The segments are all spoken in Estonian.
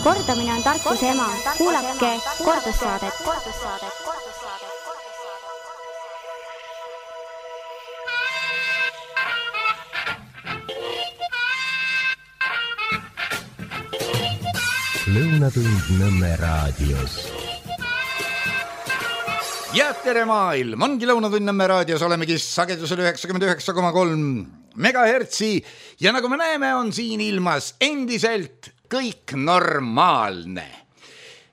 Kordamine on tarkuse ema. Kuulake kordussaadet. Lõunatund Nõmme raadios. Ja tere maailm, ongi Lõunatund Nõmme raadios, olemegi sagedusel 99,3 megahertsi ja nagu me näeme, on siin ilmas endiselt kõik normaalne.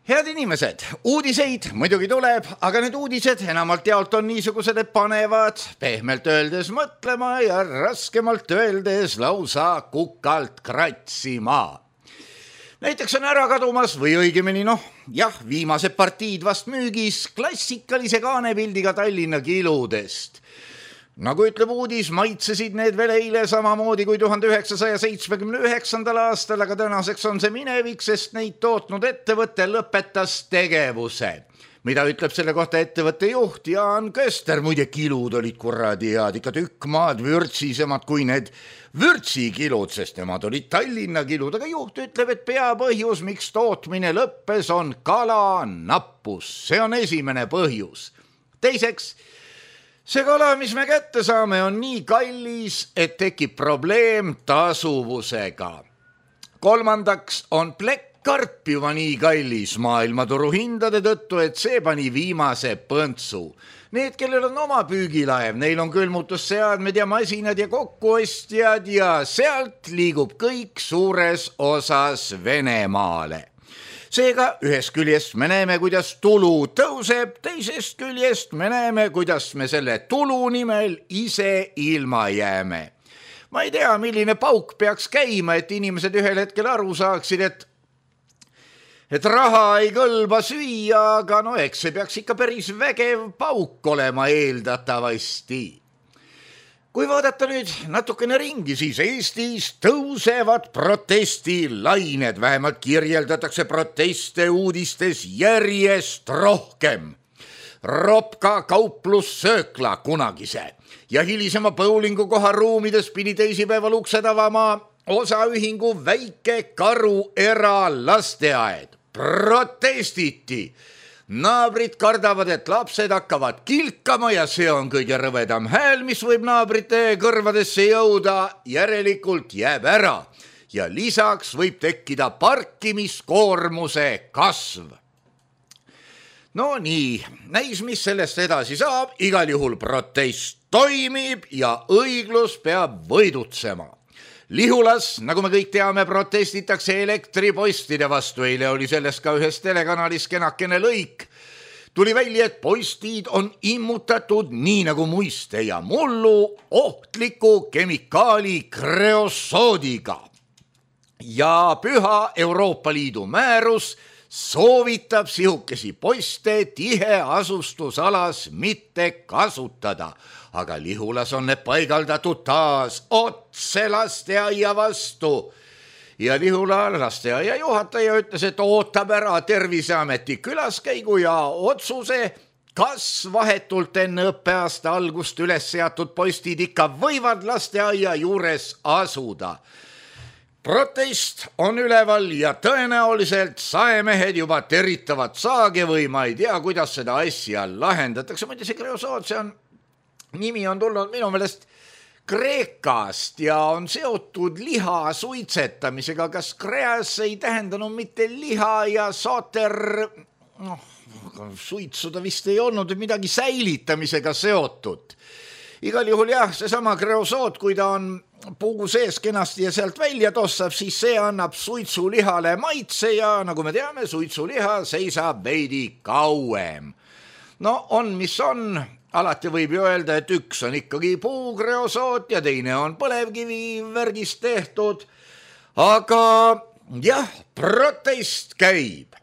Head inimesed, uudiseid muidugi tuleb, aga need uudised enamalt jaolt on niisugused, et panevad pehmelt öeldes mõtlema ja raskemalt öeldes lausa kukalt kratsima. Näiteks on ära kadumas või õigemini viimased partiid vast müügis klassikalise kaanepildiga Tallinna kiludest. Nagu ütleb uudis, maitsesid need veel eile samamoodi kui 1979. aastal, aga tänaseks on see minevik, sest neid tootnud ettevõte lõpetas tegevuse. Mida ütleb selle kohta ettevõtte juht Jaan Köster, muide kilud olid kuradi head, ikka tükk maad vürtsisemad kui need vürtsikilud, sest nemad olid Tallinna kilud, aga juht ütleb, et peapõhjus, miks tootmine lõppes, on kala nappus. See on esimene põhjus. Teiseks, see kala, mis me kätte saame, on nii kallis, et tekib probleem tasuvusega. Kolmandaks on karp juba nii kallis maailmaturu hindade tõttu, et see pani viimase põntsu. Need, kellel on oma püügilaev, neil on külmutusseadmed ja masinad ja kokkuostjad ja sealt liigub kõik suures osas Venemaale. Seega ühest küljest me näeme, kuidas tulu tõuseb, teisest küljest me näeme, kuidas me selle tulu nimel ise ilma jääme. Ma ei tea, milline pauk peaks käima, et inimesed ühel hetkel aru saaksid, et raha ei kõlba süüa, aga eks see peaks ikka päris vägev pauk olema eeldatavasti. Kui vaadata nüüd natukene ringi, siis Eestis tõusevad protestilained, vähemalt kirjeldatakse proteste uudistes järjest rohkem. Ropka kauplussöökla kunagise ja hilisema bowlingu koha ruumides pidi teisipäeval uksed avama osaühingu Väike Karu eralasteaed. Protestiti. Naabrid kardavad, et lapsed hakkavad kilkama ja see on kõige rõvedam hääl, mis võib naabrite kõrvadesse jõuda, järelikult jääb ära. Ja lisaks võib tekkida parkimiskoormuse kasv. No nii, näis, mis sellest edasi saab, igal juhul protest toimib ja õiglus peab võidutsema. Lihulas, nagu me kõik teame, protestitakse elektripostide vastu. Eile oli sellest ka ühes telekanalis kenakene lõik. Tuli välja, et postid on immutatud nii nagu muiste ja mullu ohtliku kemikaali kreosoodiga. Ja püha Euroopa Liidu määrus soovitab sihukesi poste tiheasustusalas mitte kasutada. Aga Lihulas on need paigaldatud taas otse lasteaia vastu. Ja Lihula lasteaia juhataja ütles, et ootab ära Terviseameti külaskäigu ja otsuse, kas vahetult enne õppeaasta algust üles seatud postid ikka võivad lasteaia juures asuda. Protest on üleval ja tõenäoliselt saemehed juba teritavad saage või ma ei tea, kuidas seda asja lahendatakse. Muide, see kreosood, nimi on tulnud minu meelest Kreekast ja on seotud liha suitsetamisega. Kas kreas ei tähendanud mitte liha ja sooter, suitsuda vist ei olnud midagi säilitamisega seotud. Igal juhul seesama kreosood, kui ta on puu sees kenasti ja sealt välja tossab, siis see annab suitsulihale maitse ja nagu me teame, suitsuliha seisab veidi kauem. No on, mis on. Alati võib ju öelda, et üks on ikkagi puukreosoot ja teine on põlevkivi värgist tehtud. Aga protest käib.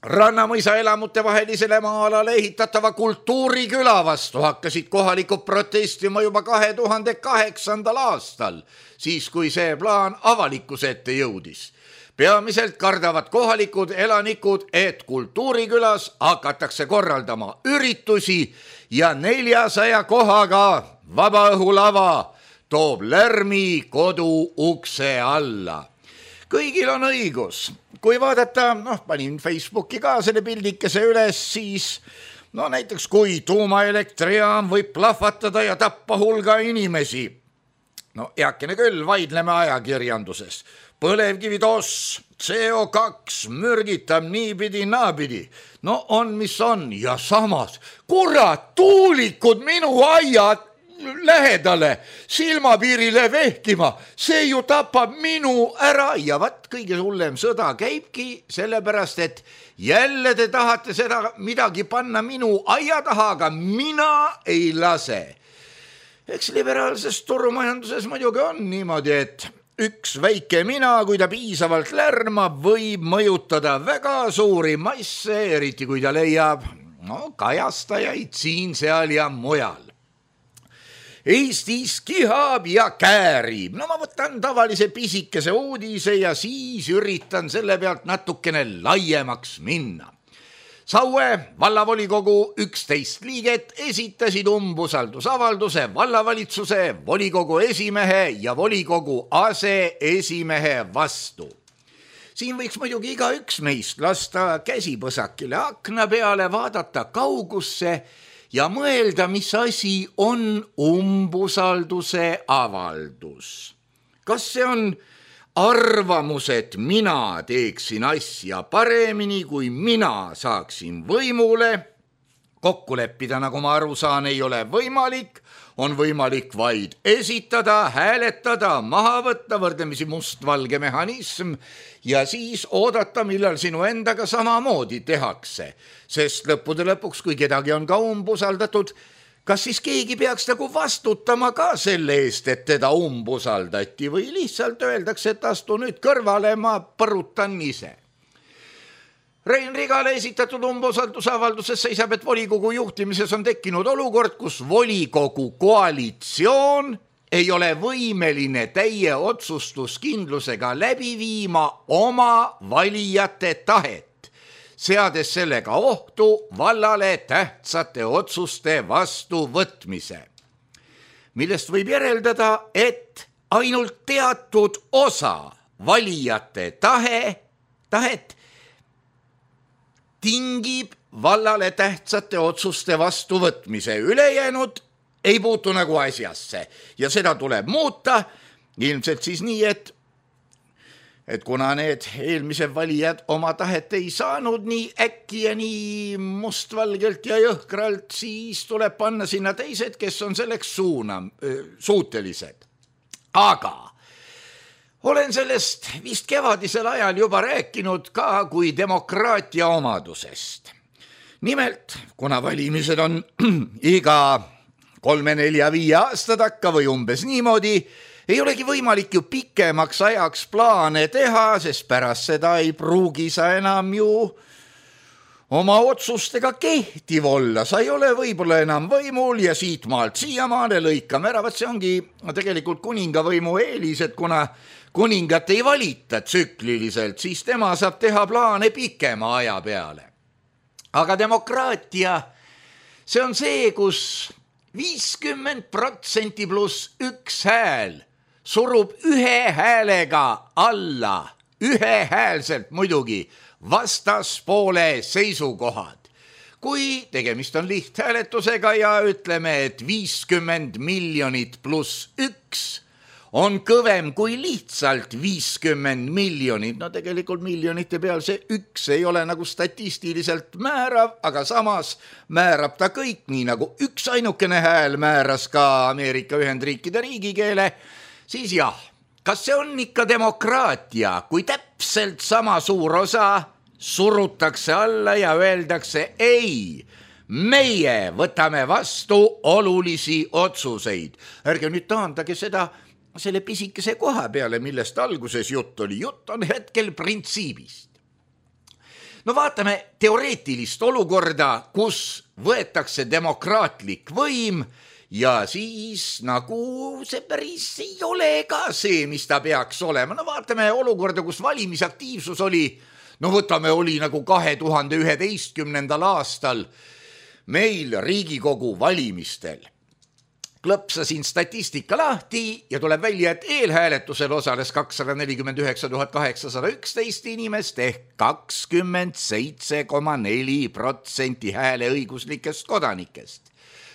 Rannamõisa elamute vahelisele maa-alale ehitatava kultuuriküla vastu hakkasid kohalikud protestima juba 2008. aastal, siis kui see plaan avalikkuse ette jõudis. Peamiselt kardavad kohalikud elanikud, et kultuurikülas hakatakse korraldama üritusi ja 400 kohaga vabaõhulava toob lärmi kodu ukse alla. kõigil on õigus. Kui vaadata, panin Facebooki ka selle pildikese üles, siis näiteks kui tuumaelektrijaam võib plahvatada ja tappa hulga inimesi. Heakene küll, vaidleme ajakirjanduses. Põlevkivi toss, CO2 mürgitab niipidi naapidi. On mis on ja samas, kurat, tuulikud minu aiad lähedale silmapiirile vehkima, see ju tapab minu ära ja kõige hullem sõda käibki sellepärast, et jälle te tahate seda midagi panna minu aia taha, aga mina ei lase. Eks liberaalses turumajanduses muidugi on niimoodi, et üks väike mina, kui ta piisavalt lärmab, võib mõjutada väga suuri masse, eriti kui ta leiab kajastajaid siin, seal ja mujal. Eestis kihab ja käärib. Ma võtan tavalise pisikese uudise ja siis üritan selle pealt natukene laiemaks minna. Saue vallavolikogu 11 liiget esitasid umbusaldusavalduse vallavalitsuse, volikogu esimehe ja volikogu aseesimehe vastu. Siin võiks muidugi igaüks meist lasta käsipõsakile akna peale, vaadata kaugusse ja mõelda, mis asi on umbusalduse avaldus. Kas see on arvamus, et mina teeksin asja paremini, kui mina saaksin võimule? Kokku leppida, nagu ma aru saan, ei ole võimalik. On võimalik vaid esitada, hääletada, maha võtta, võrdlemisi mustvalge mehhanism ja siis oodata, millal sinu endaga samamoodi tehakse. Sest lõppude lõpuks, kui kedagi on ka umbusaldatud, kas siis keegi peaks nagu vastutama ka selle eest, et teda umbusaldati või lihtsalt öeldakse, et astu nüüd kõrvale, ma põrutan ise. Rein Rigale esitatud umbusaldusavalduses seisab, et volikogu juhtimises on tekkinud olukord, kus volikogu koalitsioon ei ole võimeline täie otsustuskindlusega läbi viima oma valijate tahet, seades sellega ohtu vallale tähtsate otsuste vastuvõtmise, millest võib järeldada, et ainult teatud osa valijate tahet tingib vallale tähtsate otsuste vastuvõtmise. Ülejäänud ei puutu nagu asjasse ja seda tuleb muuta ilmselt siis nii, et kuna need eelmised valijad oma tahet ei saanud nii äkki ja nii mustvalgelt ja jõhkralt, siis tuleb panna sinna teised, kes on selleks suutelised. Aga olen sellest vist kevadisel ajal juba rääkinud ka kui demokraatia omadusest. Nimelt, kuna valimised on iga 3, 4, 5 aasta takka või umbes niimoodi, ei olegi võimalik ju pikemaks ajaks plaane teha, sest pärast seda ei pruugi sa enam ju oma otsustega kehtiv olla. Sa ei ole võib-olla enam võimul ja siitmaalt siiamaale lõikame ära. See ongi tegelikult kuningavõimu eelis, et kuna kuningat ei valita tsükliliselt, siis tema saab teha plaane pikema aja peale. Aga demokraatia, see on see, kus 50% pluss üks hääl surub ühe häälega alla, ühehäälselt muidugi, vastaspoole seisukohad. Kui tegemist on lihthääletusega ja ütleme, et 50 miljonit pluss üks on kõvem kui lihtsalt 50 miljonit. Tegelikult miljonite peal see üks ei ole nagu statistiliselt määrav, aga samas määrab ta kõik, nii nagu üks ainukene hääl määras ka Ameerika Ühendriikide riigikeele, siis jah, kas see on ikka demokraatia, kui täpselt sama suur osa surutakse alla ja öeldakse ei, meie võtame vastu olulisi otsuseid. Ärge nüüd taandage seda selle pisikese koha peale, millest alguses jutt oli. Jutt on hetkel printsiibist. Vaatame teoreetilist olukorda, kus võetakse demokraatlik võim ja siis nagu see päris ei ole ka see, mis ta peaks olema. Vaatame olukorda, kus valimisaktiivsus oli, oli nagu 2011. aastal meil Riigikogu valimistel. klõpsasin statistika lahti ja tuleb välja, et eelhääletusel osales 249 811 inimest ehk 27,4% hääleõiguslikest kodanikest.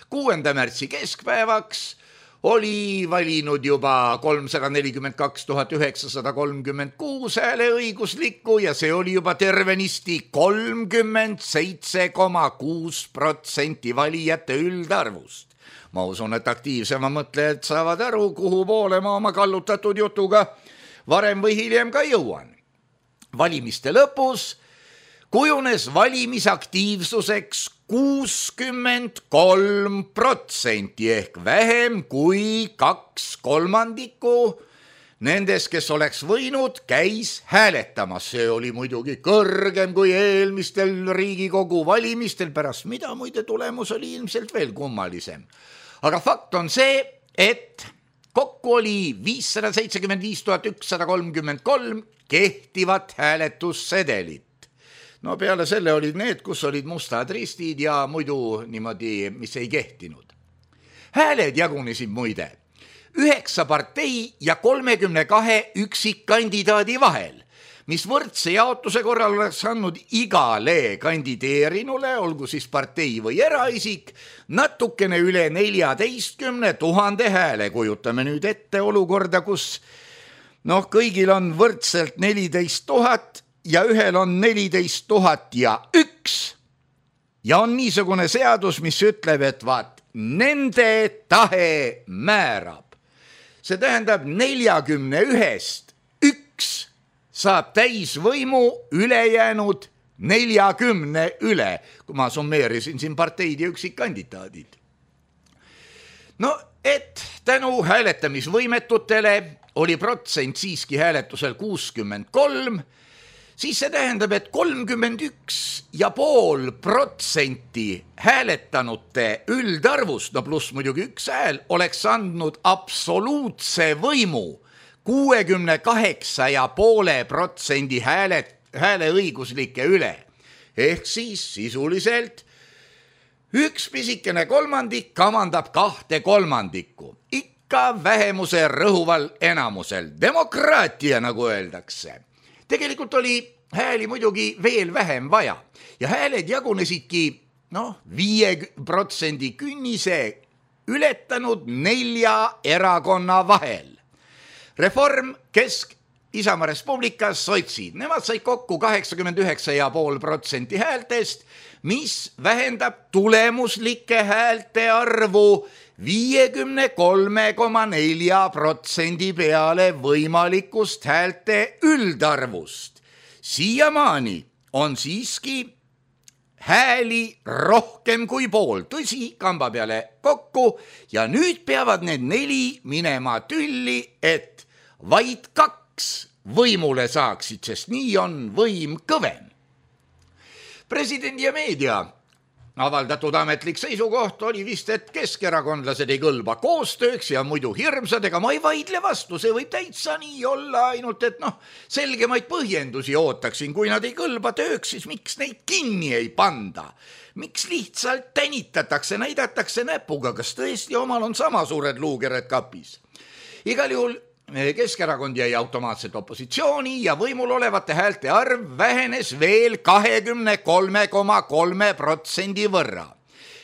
6. märtsi keskpäevaks oli valinud juba 342 936 hääleõiguslikku ja see oli juba tervenisti 37,6% valijate üldarvust. Ma usun, et aktiivsema mõtlejad saavad aru, kuhu poole ma oma kallutatud jutuga varem või hiljem ka jõuan. Valimiste lõpus kujunes valimisaktiivsuseks 63% ehk vähem kui 2/3 nendest, kes oleks võinud, käis hääletamas. See oli muidugi kõrgem kui eelmistel Riigikogu valimistel, pärast mida muide tulemus oli ilmselt veel kummalisem. Aga fakt on see, et kokku oli 575 133 kehtivat hääletussedelit. No peale selle olid need, kus olid mustad ristid ja muidu niimoodi, mis ei kehtinud. Hääled jagunesid muide 9 partei ja 32 üksikkandidaadi vahel, mis võrdse jaotuse korral oleks andnud igale kandideerinule, olgu siis partei või eraisik, natukene üle 14 000 hääle. Kujutame nüüd ette olukorda, kus kõigil on võrdselt 14 000 ja ühel on 14 001 ja on niisugune seadus, mis ütleb, et vaat, nende tahe määrab. See tähendab 41-st 1 saab täisvõimu, ülejäänud 40 üle, kui ma summeerisin siin parteid ja üksikkandidaadid. Et tänu hääletamisvõimetutele oli protsent siiski hääletusel 63, siis see tähendab, et 31,5% hääletanute üldarvust, pluss muidugi 1 hääl, oleks andnud absoluutse võimu 68,5% hääleõiguslike üle. Ehk siis sisuliselt 1 pisikene kolmandik kamandab 2/3. Ikka vähemuse rõhuval enamusel. Demokraatia, nagu öeldakse. Tegelikult oli hääli muidugi veel vähem vaja ja hääled jagunesidki 5% künnise ületanud 4 erakonna vahel. Reform, Kesk, Isamaa Res Publica, sotsid. Nemad said kokku 89,5% häältest, mis vähendab tulemuslike häälte arvu 53,4% peale võimalikust häälte üldarvust. Siiamaani on siiski hääli rohkem kui pool, tõsi, kamba peale kokku ja nüüd peavad need 4 minema tülli, et vaid 2 võimule saaksid, sest nii on võim kõvem. Presidendi ja meedia avaldatud ametlik seisukoht oli vist, et keskerakondlased ei kõlba koostööks ja muidu hirmsad, ega ma ei vaidle vastu, see võib täitsa nii olla, ainult et selgemaid põhjendusi ootaksin, kui nad ei kõlba tööks, siis miks neid kinni ei panda? Miks lihtsalt tänitatakse, näidatakse näpuga, kas tõesti omal on sama suured luukered kapis? Igal juhul Keskerakond jäi automaatselt opositsiooni ja võimul olevate häälte arv vähenes veel 23,3% võrra.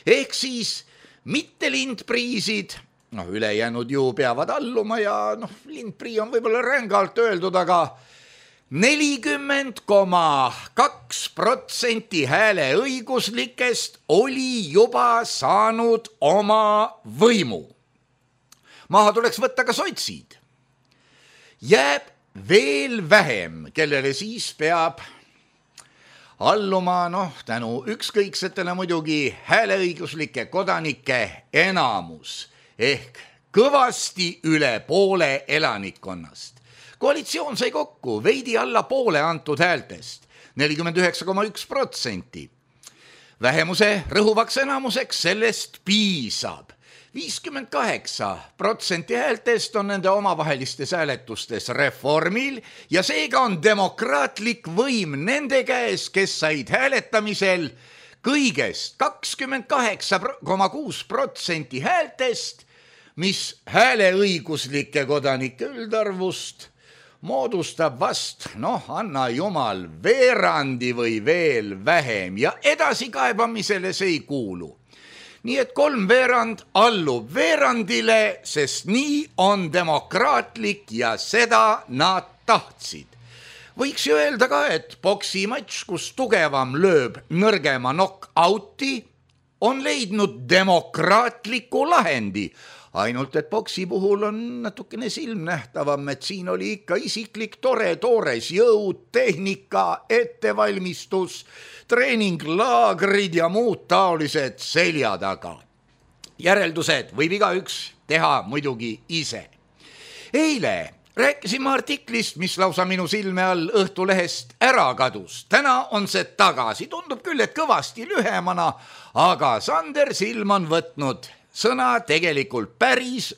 Ehk siis mitte lindpriisid, ülejäänud ju peavad alluma ja lindprii on võib-olla rängalt öeldud, aga 40,2% hääleõiguslikest oli juba saanud oma võimu. Maha tuleks võtta ka sotsid. Jääb veel vähem, kellele siis peab alluma, tänu ükskõiksetele muidugi hääleõiguslike kodanike enamus ehk kõvasti üle poole elanikkonnast. Koalitsioon sai kokku veidi alla poole antud häältest, 49,1%. Vähemuse rõhuvaks enamuseks sellest piisab. 58% häältest on nende omavahelistes hääletustes Reformil ja seega on demokraatlik võim nende käes, kes said hääletamisel kõigest 28,6% häältest mis hääleõiguslike kodanike üldarvust moodustab vast, anna jumal, veerandi või veel vähem ja edasikaebamisele see ei kuulu. Nii et 3/4 allub veerandile, sest nii on demokraatlik ja seda nad tahtsid. Võiks ju öelda ka, et poksimatš, kus tugevam lööb nõrgema knock-out'i, on leidnud demokraatliku lahendi. Ainult, et boksi puhul on natukene silmnähtavam, et siin oli ikka isiklik toores jõud, tehnika, ettevalmistus, treeninglaagrid ja muud taolised selja taga. Järeldused võib igaüks teha muidugi ise. Eile rääkisime artiklist, mis lausa minu silme all Õhtulehest ära kadus. Täna on see tagasi. Tundub küll, et kõvasti lühemana, aga Sander Silm on võtnud sõna tegelikult päris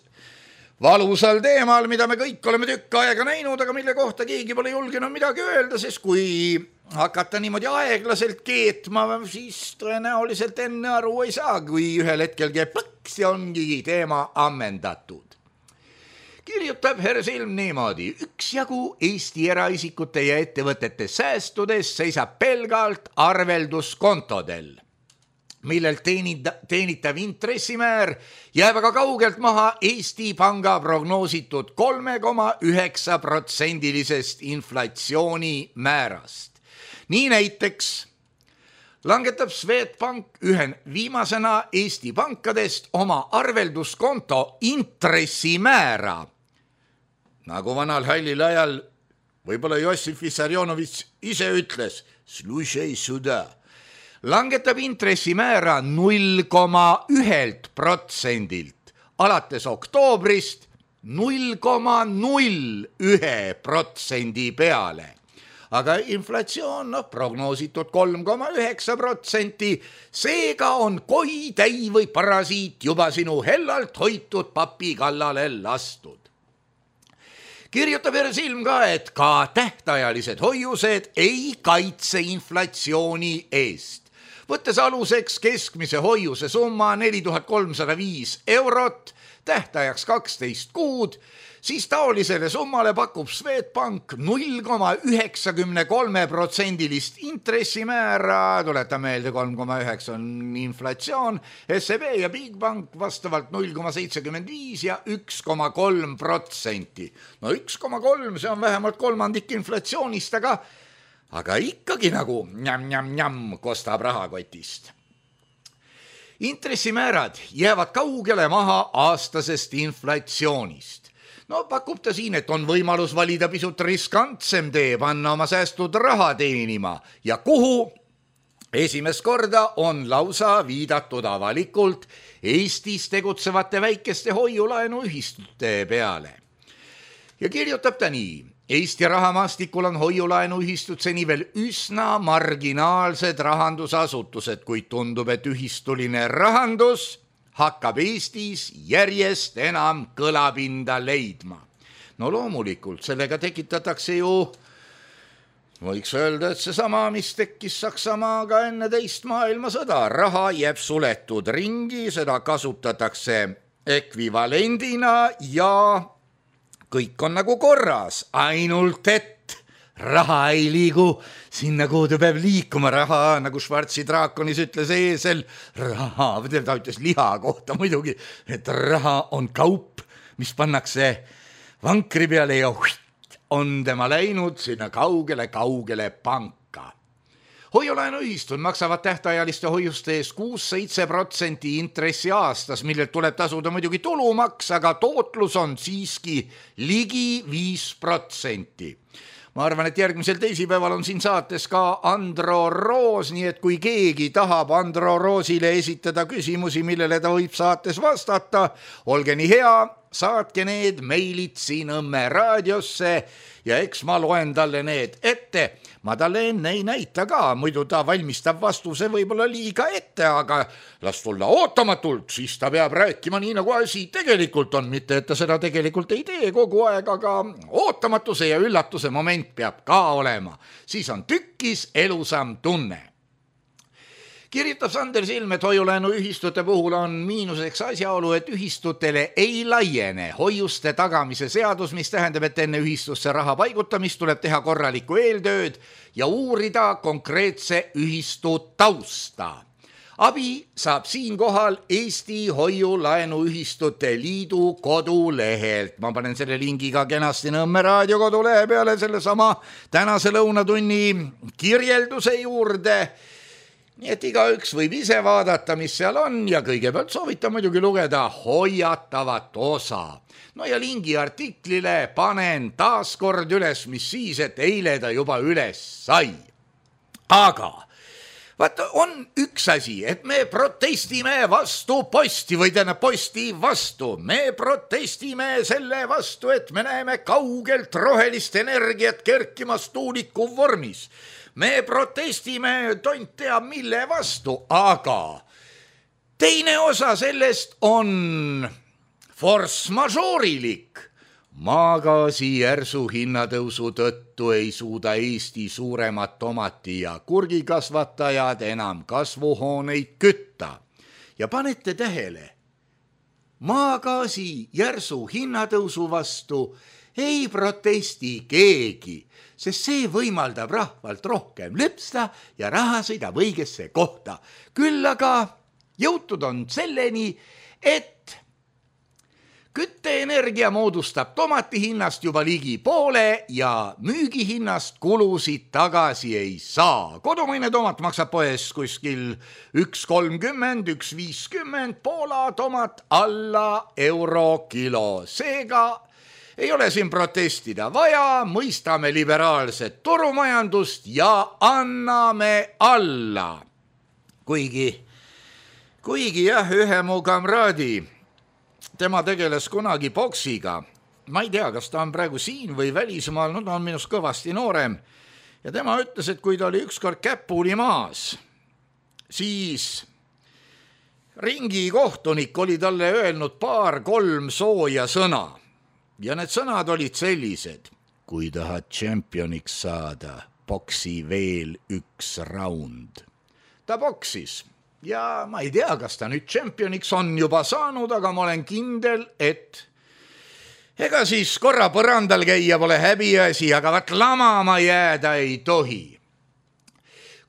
valusal teemal, mida me kõik oleme tükk aega näinud, aga mille kohta keegi pole julgenud midagi öelda, sest kui hakata niimoodi aeglaselt keetma, siis tõenäoliselt enne aru ei saa, kui ühel hetkel käib plõks ja ongi teema ammendatud. Kirjutab härra Silm niimoodi: üksjagu Eesti eraisikute ja ettevõtete säästudes seisab pelgalt arvelduskontodel, millelt teenitav intressimäär jääb aga kaugelt maha Eesti Panga prognoositud 3,9% inflatsioonimäärast. Nii näiteks langetab Swedbank ühe viimasena Eesti pankadest oma arvelduskonto intressimäära. Nagu vanal hallil ajal võib-olla Jossif Vissarionovitš ise ütles, slušaj suda, langetab intressimäära 0,1%-lt alates oktoobrist 0,01% peale. Aga inflatsioon prognoositud 3,9%, seega on koi, täi või parasiit juba sinu hellalt hoitud papi kallale lastud. Kirjutab härra Silm ka, et ka tähtajalised hoiused ei kaitse inflatsiooni eest. Võttes aluseks keskmise hoiuse summa 4305 €, tähtajaks 12 kuud, siis taolisele summale pakub Swedbank 0,93% intressimäära, tuletan meelde 3,9 on inflatsioon, SEB ja Bigbank vastavalt 0,75 ja 1,3%. 1,3 see on vähemalt kolmandik inflatsioonist, aga ikkagi nagu njam kostab rahakotist. Intressimäärad jäävad kaugele maha aastasest inflatsioonist. Pakub ta siin, et on võimalus valida pisut riskantsem tee, panna oma säästud raha teenima ja kuhu esimest korda on lausa viidatud avalikult Eestis tegutsevate väikeste hoiulaenuühistute peale. Ja kirjutab ta nii: Eesti rahamaastikul on hoiulaenuühistud seni veel üsna marginaalsed rahandusasutused, kuid tundub, et ühistuline rahandus hakkab Eestis järjest enam kõlapinda leidma. Loomulikult, sellega tekitatakse ju, võiks öelda, et seesama, mis tekkis Saksamaaga enne teist maailmasõda. Raha jääb suletud ringi, seda kasutatakse ekvivalendina ja kõik on nagu korras, ainult et raha ei liigu sinna, kuhu ta peab liikuma. Raha, nagu Schwarzi draakonis ütles eesel, raha, ta ütles liha kohta muidugi, et raha on kaup, mis pannakse vankri peale ja on tema läinud sinna kaugele panka. Hoiulaenuühistud maksavad tähtajaliste hoiuste eest 6-7% intressi aastas, millelt tuleb tasuda muidugi tulumaks, aga tootlus on siiski ligi 5%. Ma arvan, et järgmisel teisipäeval on siin saates ka Andro Roos, nii et kui keegi tahab Andro Roosile esitada küsimusi, millele ta võib saates vastata, olge nii hea, saatke need meilid siin Õmme raadiosse ja eks ma loen talle need ette. Ma talle enne ei näita ka, muidu ta valmistab vastuse võib-olla liiga ette, aga las tulla ootamatult, siis ta peab rääkima nii, nagu asi tegelikult on, mitte et ta seda tegelikult ei tee kogu aeg, aga ootamatuse ja üllatuse moment peab ka olema. Siis on tükkis elusam tunne. kirjutab Sander Silm, et hoiulaenuühistute puhul on miinuseks asjaolu, et ühistutele ei laiene hoiuste tagamise seadus, mis tähendab, et enne ühistusse raha paigutamist tuleb teha korralikku eeltööd ja uurida konkreetse ühistu tausta. Abi saab siinkohal Eesti Hoiulaenuühistute Liidu kodulehelt. Ma panen selle lingi ka kenasti Nõmme raadio kodulehe peale selle sama tänase lõunatunni kirjelduse juurde. Nii et igaüks võib ise vaadata, mis seal on ja kõigepealt soovitan muidugi lugeda hoiatavat osa. No ja lingi artiklile panen taas kord üles, mis siis, et eile ta juba üles sai. Aga vaata, on üks asi, et me protestime vastu posti või tähendab posti vastu. Me protestime selle vastu, et me näeme kaugelt rohelist energiat kerkimas tuuliku vormis. Me protestime tont teab mille vastu, aga teine osa sellest on force majeure'ilik. Maagaasi järsu hinnatõusu tõttu ei suuda Eesti suuremad tomati- ja kurgikasvatajad enam kasvuhooneid kütta. Ja panete tähele, maagaasi järsu hinnatõusu vastu ei protesti keegi, sest see võimaldab rahvalt rohkem lüpsta ja raha sõidab õigesse kohta. Küll aga jõutud on selleni, et kütteenergia moodustab tomati hinnast juba ligi poole ja müügihinnast kulusid tagasi ei saa. Kodumaine tomat maksab poes kuskil 1,30, 1,50, Poola tomat alla euro kilo. Seega ei ole siin protestida vaja, mõistame liberaalset turumajandust ja anname alla. Kuigi jah, ühe mu kamraadi, tema tegeles kunagi boksiga. Ma ei tea, kas ta on praegu siin või välismaal, no ta on minust kõvasti noorem. Ja tema ütles, et kui ta oli ükskord käpuli maas, siis ringi kohtunik oli talle öelnud 2-3 sooja sõna. Ja need sõnad olid sellised: kui tahad tšempioniks saada, boksi veel 1 raund. Ta boksis. Ja ma ei tea, kas ta nüüd tšempioniks on juba saanud, aga ma olen kindel, et ega siis korra põrandal käia pole häbiasi, aga vaat lamama jääda ei tohi.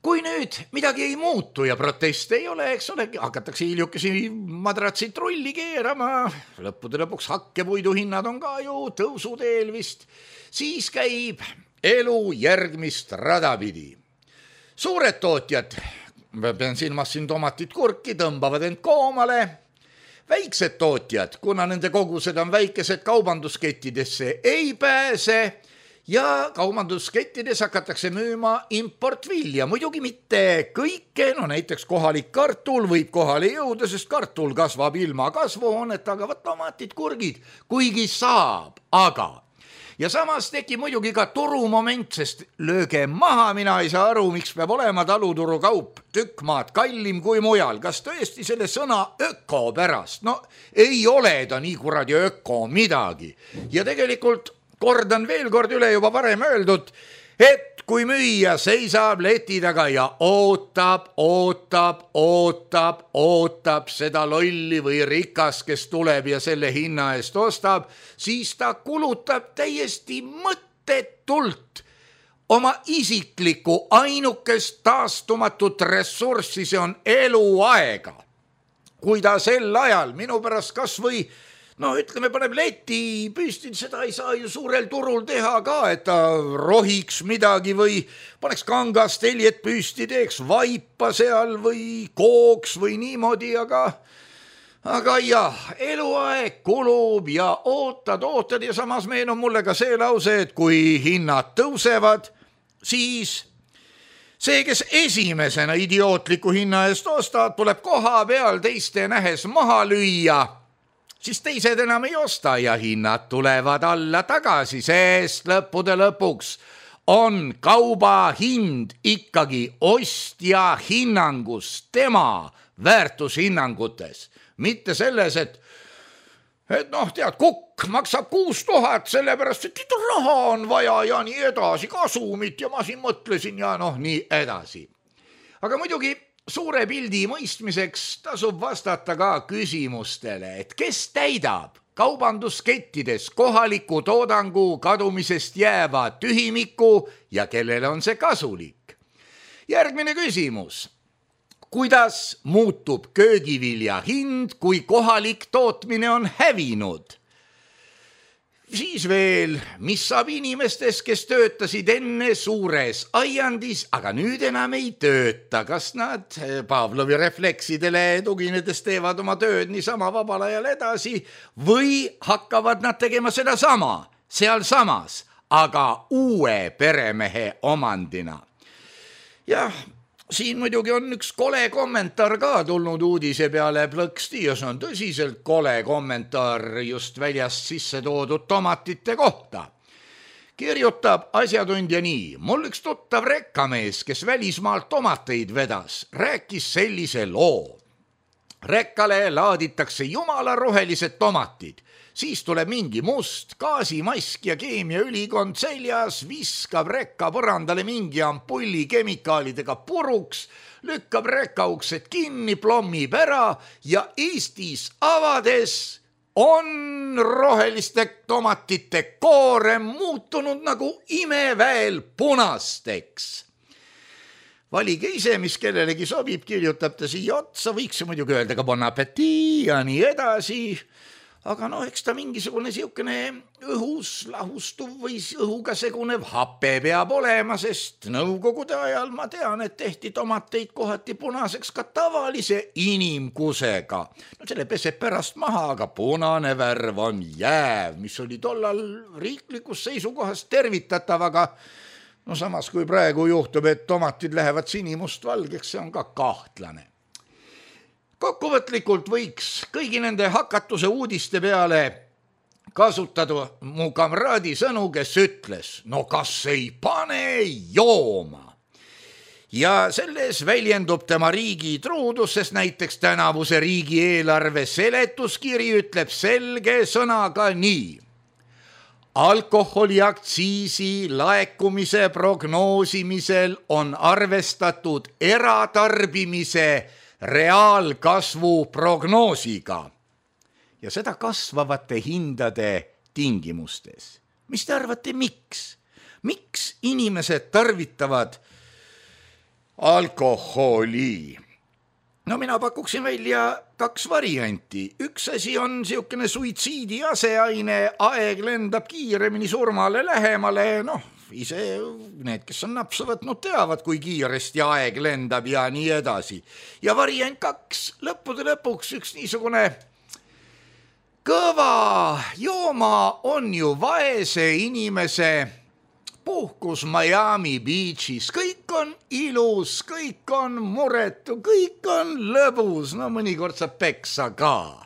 Kui nüüd midagi ei muutu ja proteste ei ole, eks ole, hakatakse hiljukesi madratsit rulli keerama, lõppude lõpuks hakkepuidu hinnad on ka ju tõusuteel vist, siis käib elu järgmist radapidi. Suured tootjad, ma pean silmas siin tomatit, kurki, tõmbavad end koomale. Väiksed tootjad, kuna nende kogused on väikesed, kaubanduskettidesse ei pääse ja kaubanduskettides hakatakse müüma importvilja. Muidugi mitte kõike, no näiteks kohalik kartul võib kohale jõuda, sest kartul kasvab ilma kasvuhoonet, aga võt tomatid, kurgid, kuigi saab, aga ja samas tekib muidugi ka turumoment, sest lööge maha, mina ei saa aru, miks peab olema taluturu kaup tükk maad kallim kui mujal. Kas tõesti selle sõna öko pärast? No ei ole ta nii kuradi öko midagi. Ja tegelikult kordan veel kord üle juba varem öeldud, et kui müüja seisab leti taga ja ootab seda lolli või rikas, kes tuleb ja selle hinna eest ostab, siis ta kulutab täiesti mõttetult oma isiklikku ainukest taastumatut ressurssi, see on eluaega. Kui ta sel ajal minu pärast kas või ütleme, paneb leti püsti, seda ei saa ju suurel turul teha ka, et ta rohiks midagi või paneks kangast teljet püsti, teeks vaipa seal või kooks või niimoodi, aga jah, eluaeg kulub ja ootad ja samas meenub mulle ka see lause, et kui hinnad tõusevad, siis see, kes esimesena idiootliku hinna eest ostad, tuleb koha peal teiste nähes maha lüüa, siis teised enam ei osta ja hinnad tulevad alla tagasi, sest lõppude lõpuks on kauba hind ikkagi ostja hinnangus, tema väärtushinnangutes. Mitte selles, et tead, kukk maksab 6,000 sellepärast, et raha on vaja ja nii edasi, kasumit ja ma siin mõtlesin ja nii edasi. Aga muidugi suure pildi mõistmiseks tasub vastata ka küsimustele, et kes täidab kaubanduskettides kohaliku toodangu kadumisest jääva tühimiku ja kellele on see kasulik. Järgmine küsimus. Kuidas muutub köögivilja hind, kui kohalik tootmine on hävinud? Siis veel, mis saab inimestes, kes töötasid enne suures aiandis, aga nüüd enam ei tööta? Kas nad Pavlovi refleksidele tuginedes teevad oma tööd niisama vabal ajal edasi või hakkavad nad tegema seda sama, sealsamas, aga uue peremehe omandina? Jah, siin muidugi on üks kole kommentaar ka tulnud uudise peale plõksti ja see on tõsiselt kole kommentaar just väljast sisse toodud tomatite kohta. Kirjutab asjatundja nii. Mul üks tuttav rekkamees, kes välismaalt tomateid vedas, rääkis sellise loo. Rekkale laaditakse jumala rohelised tomatid. Siis tuleb mingi must gaasimask ja keemiaülikond seljas, viskab rekka põrandale mingi ampulli kemikaalidega puruks, lükkab rekkauksed kinni, plommib ära ja Eestis avades on roheliste tomatite koorem muutunud nagu imeväel punasteks. Valige ise, mis kellelegi sobib, kirjutab ta siia otsa, võiks muidugi öelda ka bon appétit ja nii edasi. Aga eks ta mingisugune siukene õhus lahustuv või õhuga segunev hape peab olema, sest nõukogude ajal ma tean, et tehti tomateid kohati punaseks ka tavalise inimkusega. Selle peseb pärast maha, aga punane värv on jääv, mis oli tollal riiklikus seisukohas tervitatav, aga samas kui praegu juhtub, et tomatid lähevad sinimustvalgeks, see on ka kahtlane. Kokkuvõtlikult võiks kõigi nende hakatuse uudiste peale kasutada mu kamraadi sõnu, kes ütles, kas ei pane jooma. Ja selles väljendub tema riigi truudus, sest näiteks tänavuse riigieelarve seletuskiri ütleb selge sõnaga nii. Alkoholiaktsiisi laekumise prognoosimisel on arvestatud eratarbimise reaalkasvu prognoosiga ja seda kasvavate hindade tingimustes. Mis te arvate, miks? Miks inimesed tarvitavad alkoholi? Mina pakuksin välja 2 varianti. Üks asi on siukene suitsiidi aseaine, aeg lendab kiiremini surmale lähemale, ise need, kes on napsu võtnud, teavad, kui kiiresti aeg lendab ja nii edasi. Ja variant 2, lõppude lõpuks üks niisugune kõva jooma on ju vaese inimese puhkus Miami Beachis. Kõik on ilus, kõik on muretu, kõik on lõbus, mõnikord saab peksa ka.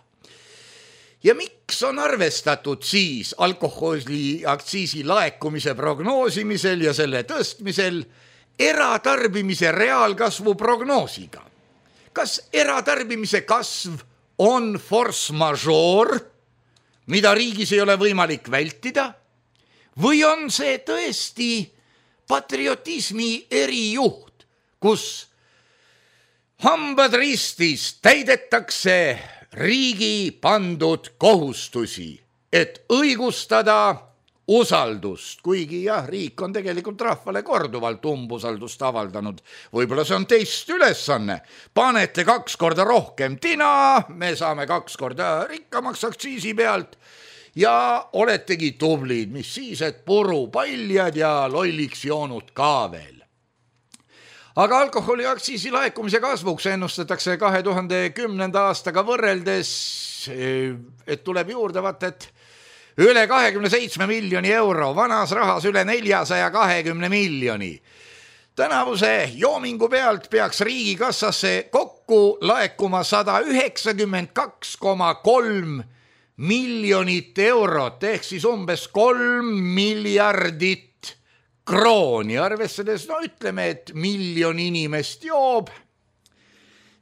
Ja miks on arvestatud siis alkoholiaktsiisi laekumise prognoosimisel ja selle tõstmisel eratarbimise reaalkasvu prognoosiga? Kas eratarbimise kasv on force majeure, mida riigis ei ole võimalik vältida? Või on see tõesti patriotismi erijuht, kus hambad ristis täidetakse riigi pandud kohustusi, et õigustada usaldust, kuigi riik on tegelikult rahvale korduvalt umbusaldust avaldanud. Võib-olla see on teist ülesanne. Panete 2 korda rohkem tina, me saame 2 korda rikkamaks aktsiisi pealt ja oletegi tublid, mis siis, et purupaljad ja lolliks joonud ka veel. Aga alkoholiaktsiisi laekumise kasvuks ennustatakse 2010. aastaga võrreldes, et tuleb juurde et üle 27 miljoni euro, vanas rahas üle 420 miljoni. Tänavuse joomingu pealt peaks riigikassasse kokku laekuma 192,3 miljonit eurot, ehk siis umbes 3 miljardit krooni, arvestades, ütleme, et 1 miljon inimest joob,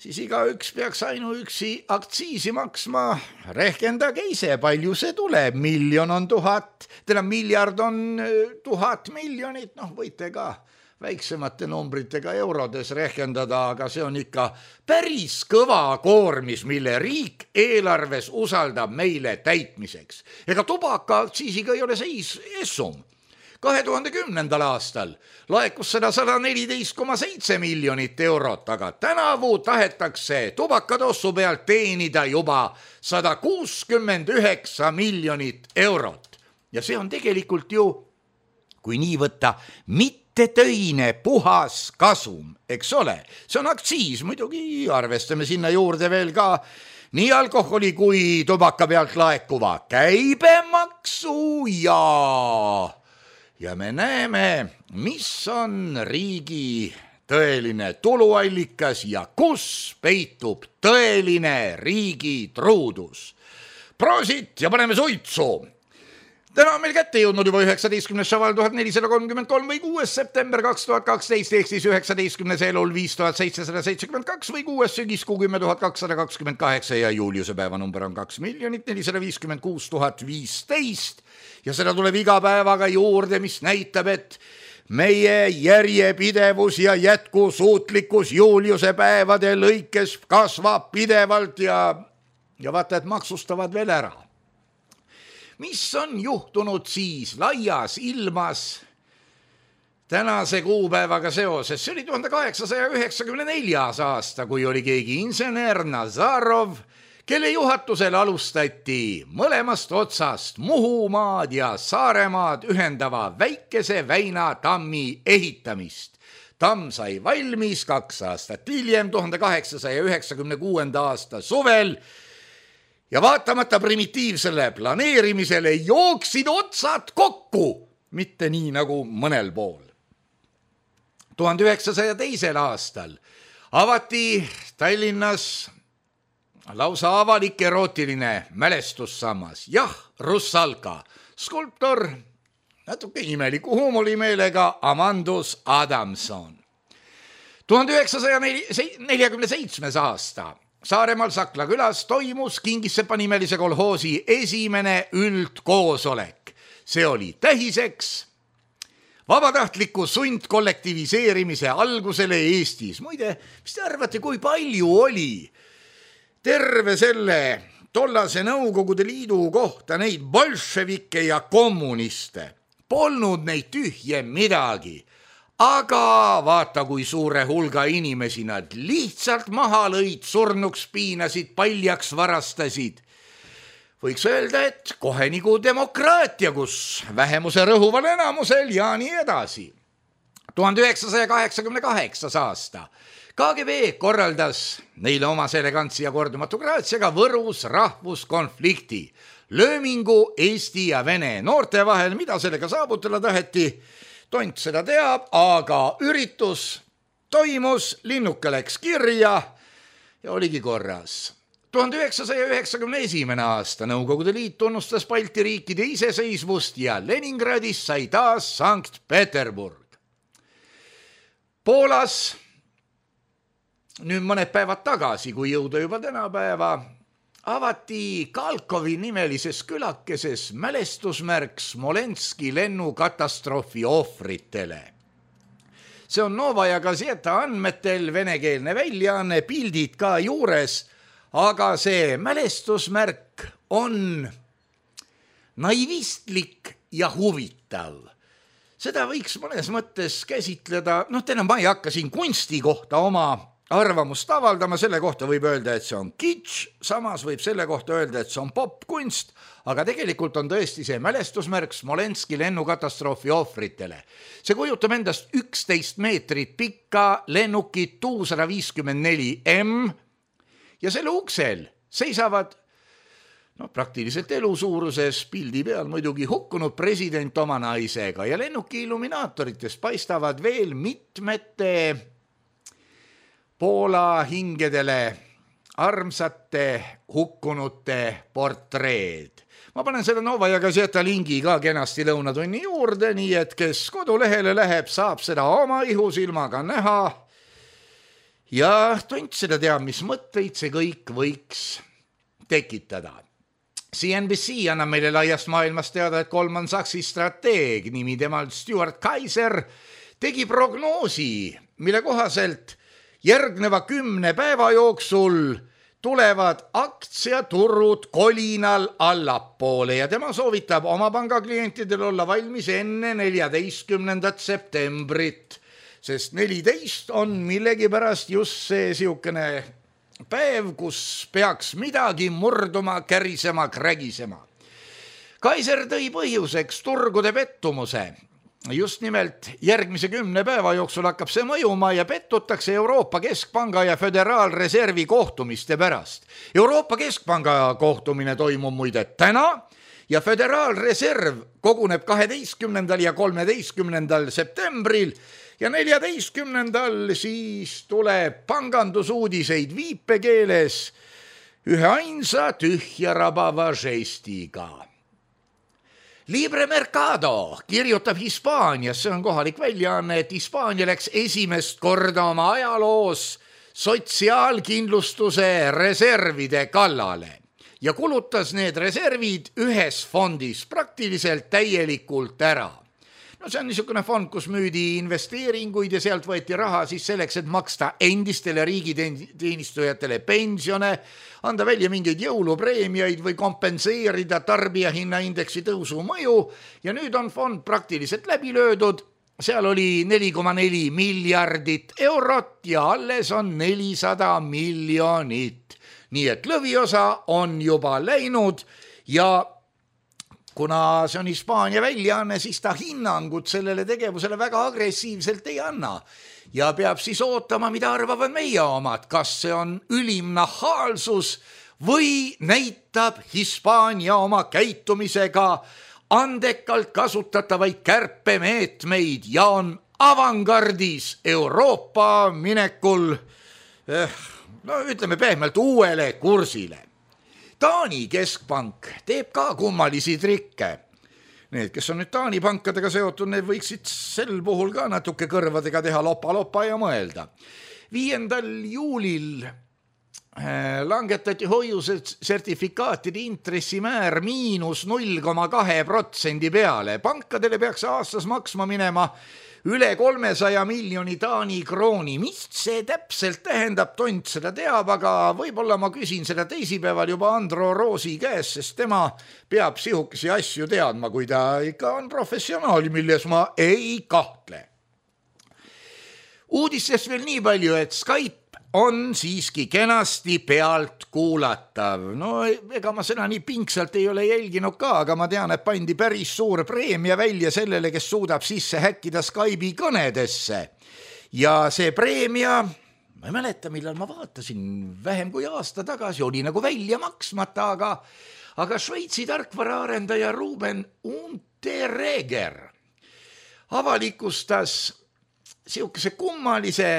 siis igaüks peaks ainuüksi aktsiisi maksma. Rehkendage ise, palju see tuleb, 1 miljon on 1000, miljard on 1000 miljonit, võite ka väiksemate numbritega eurodes rehkendada, aga see on ikka päris kõva koormis, mille riik eelarves usaldab meile täitmiseks. Ega tubakaaktsiisiga ei ole seis essum. 2010. aastal laekus seda 114,7 miljonit eurot, aga tänavu tahetakse tubakatossu pealt teenida juba 169 miljonit eurot. Ja see on tegelikult ju, kui nii võtta, mitte töine puhas kasum, eks ole. See on aktsiis, muidugi arvestame sinna juurde veel ka nii alkoholi kui tubaka pealt laekuva käibemaksu ja me näeme, mis on riigi tõeline tuluallikas ja kus peitub tõeline riigi truudus. Prosit ja paneme suitsu! Täna on meil kätte jõudnud juba 19. šaval 1433 või 6. september 2012 ehk siis 19. elul 5772 või 6. sügiskuu 10.228 ja juuliuse päeva number on 2 456 015 ja seda tuleb iga päevaga juurde, mis näitab, et meie järjepidevus ja jätkusuutlikkus juuliuse päevade lõikes kasvab pidevalt ja vaata, et maksustavad veel ära. Mis on juhtunud siis laias ilmas tänase kuupäevaga seoses? See oli 1894. aasta, kui oli keegi insener Nazarov, kelle juhatusel alustati mõlemast otsast Muhumaad ja Saaremaad ühendava väikese Väina tammi ehitamist. Tamm sai valmis 2 aastat hiljem, 1896. aasta suvel, ja vaatamata primitiivsele planeerimisele jooksid otsad kokku, mitte nii nagu mõnel pool. 1902. aastal avati Tallinnas lausa avalik erootiline mälestussammas. Jah, Russalka, skulptor, natuke imeliku huumorimeelega Amandus Adamson. 1947. aasta Saaremaal Sakla külas toimus Kingissepa nimelise kolhoosi esimene üldkoosolek. See oli tähiseks vabatahtliku sundkollektiviseerimise algusele Eestis. Muide, mis te arvate, kui palju oli terve selle tollase Nõukogude Liidu kohta neid bolševikke ja kommuniste? Polnud neid tühje midagi. Aga vaata, kui suure hulga inimesi nad lihtsalt maha lõid, surnuks piinasid, paljaks varastasid. Võiks öelda, et kohe nagu demokraatia, kus vähemuse rõhuval enamusel ja nii edasi. 1988. aasta KGB korraldas neile omas elegantsi ja kordumatu graatsiaga Võrus rahvuskonflikti, löömingu Eesti ja Vene noorte vahel. Mida sellega saavutada taheti? Tont seda teab, aga üritus toimus, linnuke läks kirja ja oligi korras. 1991. aasta Nõukogude Liit tunnustas Balti riikide iseseisvust ja Leningradis sai taas Sankt Peterburg. Poolas nüüd mõned päevad tagasi, kui jõuda juba tänapäeva, avati Kalkovi nimelises külakeses mälestusmärk Smolenski lennukatastroofi ohvritele. See on Novaja Gazeta andmetel venekeelne väljaanne, pildid ka juures, aga see mälestusmärk on naivistlik ja huvitav. Seda võiks mõnes mõttes käsitleda, ma ei hakka siin kunsti kohta oma arvamust avaldama, selle kohta võib öelda, et see on kitsch, samas võib selle kohta öelda, et see on popkunst, aga tegelikult on tõesti see mälestusmärk Smolenski lennukatastroofi ohvritele. See kujutab endast 11 meetrit pikka lennukit Tu-154M ja selle uksel seisavad praktiliselt elusuuruses pildi peal muidugi hukkunud president oma naisega ja lennuki illuminaatoritest paistavad veel mitmete Poola hingedele armsate hukkunute portreed. Ma panen selle Novaja Gazeta lingi ka kenasti lõunatunni juurde, nii et kes kodulehele läheb, saab seda oma ihusilmaga näha. Ja tont seda teab, mis mõtteid see kõik võiks tekitada. CNBC annab meile laiast maailmast teada, et Goldman Sachsi strateeg, nimi temal Stuart Kaiser, tegi prognoosi, mille kohaselt järgneva 10 päeva jooksul tulevad aktsiaturud kolinal allapoole ja tema soovitab oma pangaklientidel olla valmis enne 14. septembrit, sest 14 on millegipärast just see siukene päev, kus peaks midagi murduma, kärisema, krägisema. Kaiser tõi põhjuseks turgude pettumuse. Just nimelt järgmise 10 päeva jooksul hakkab see mõjuma ja pettutakse Euroopa Keskpanga ja Föderaalreservi kohtumiste pärast. Euroopa Keskpanga kohtumine toimub muide täna ja Föderaalreserv koguneb 12. ja 13. septembril ja 14. siis tuleb pangandusuudiseid viipekeeles ühe ainsa tühja rabava žestiga. Libre Mercado kirjutab Hispaanias, see on kohalik väljaanne, et Hispaania läks esimest korda oma ajaloos sotsiaalkindlustuse reservide kallale ja kulutas need reservid ühes fondis praktiliselt täielikult ära. No see on niisugune fond, kus müüdi investeeringuid ja sealt võeti raha siis selleks, et maksta endistele riigiteenistujatele pensione, anda välja mingeid jõulupreemiaid või kompenseerida tarbijahinnaindeksi tõusu mõju ja nüüd on fond praktiliselt läbi löödud. Seal oli 4,4 miljardit eurot ja alles on 400 miljonit. Nii et lõviosa on juba läinud ja kuna see on Hispaania väljaanne, siis ta hinnangut sellele tegevusele väga agressiivselt ei anna ja peab siis ootama, mida arvavad meie omad, kas see on ülim nahaalsus või näitab Hispaania oma käitumisega andekalt kasutatavaid kärpemeetmeid ja on avangardis Euroopa minekul, no ütleme pehmelt, uuele kursile. Taani keskpank teeb ka kummalisi trikke. Need, kes on nüüd Taani pankadega seotud, need võiksid sel puhul ka natuke kõrvadega teha lopa ja mõelda. 5. juulil langetati hoiusertifikaatide intressimäär -0,2% peale. Pankadele peaks aastas maksma minema üle 300 miljoni Taani krooni. Mis see täpselt tähendab, tont seda teab, aga võib-olla ma küsin seda teisipäeval juba Andro Roosi käes, sest tema peab sihukesi asju teadma, kui ta ikka on professionaal, milles ma ei kahtle. Uudistest veel nii palju, et Skype on siiski kenasti pealt kuulatav. No ega ma seda nii pingsalt ei ole jälginud ka, aga ma tean, et pandi päris suur preemia välja sellele, kes suudab sisse häkkida Skype'i kõnedesse. Ja see preemia, ma ei mäleta, millal ma vaatasin, vähem kui aasta tagasi, oli nagu välja maksmata, aga Šveitsi tarkvaraarendaja Ruben Unterreger avalikustas sihukese kummalise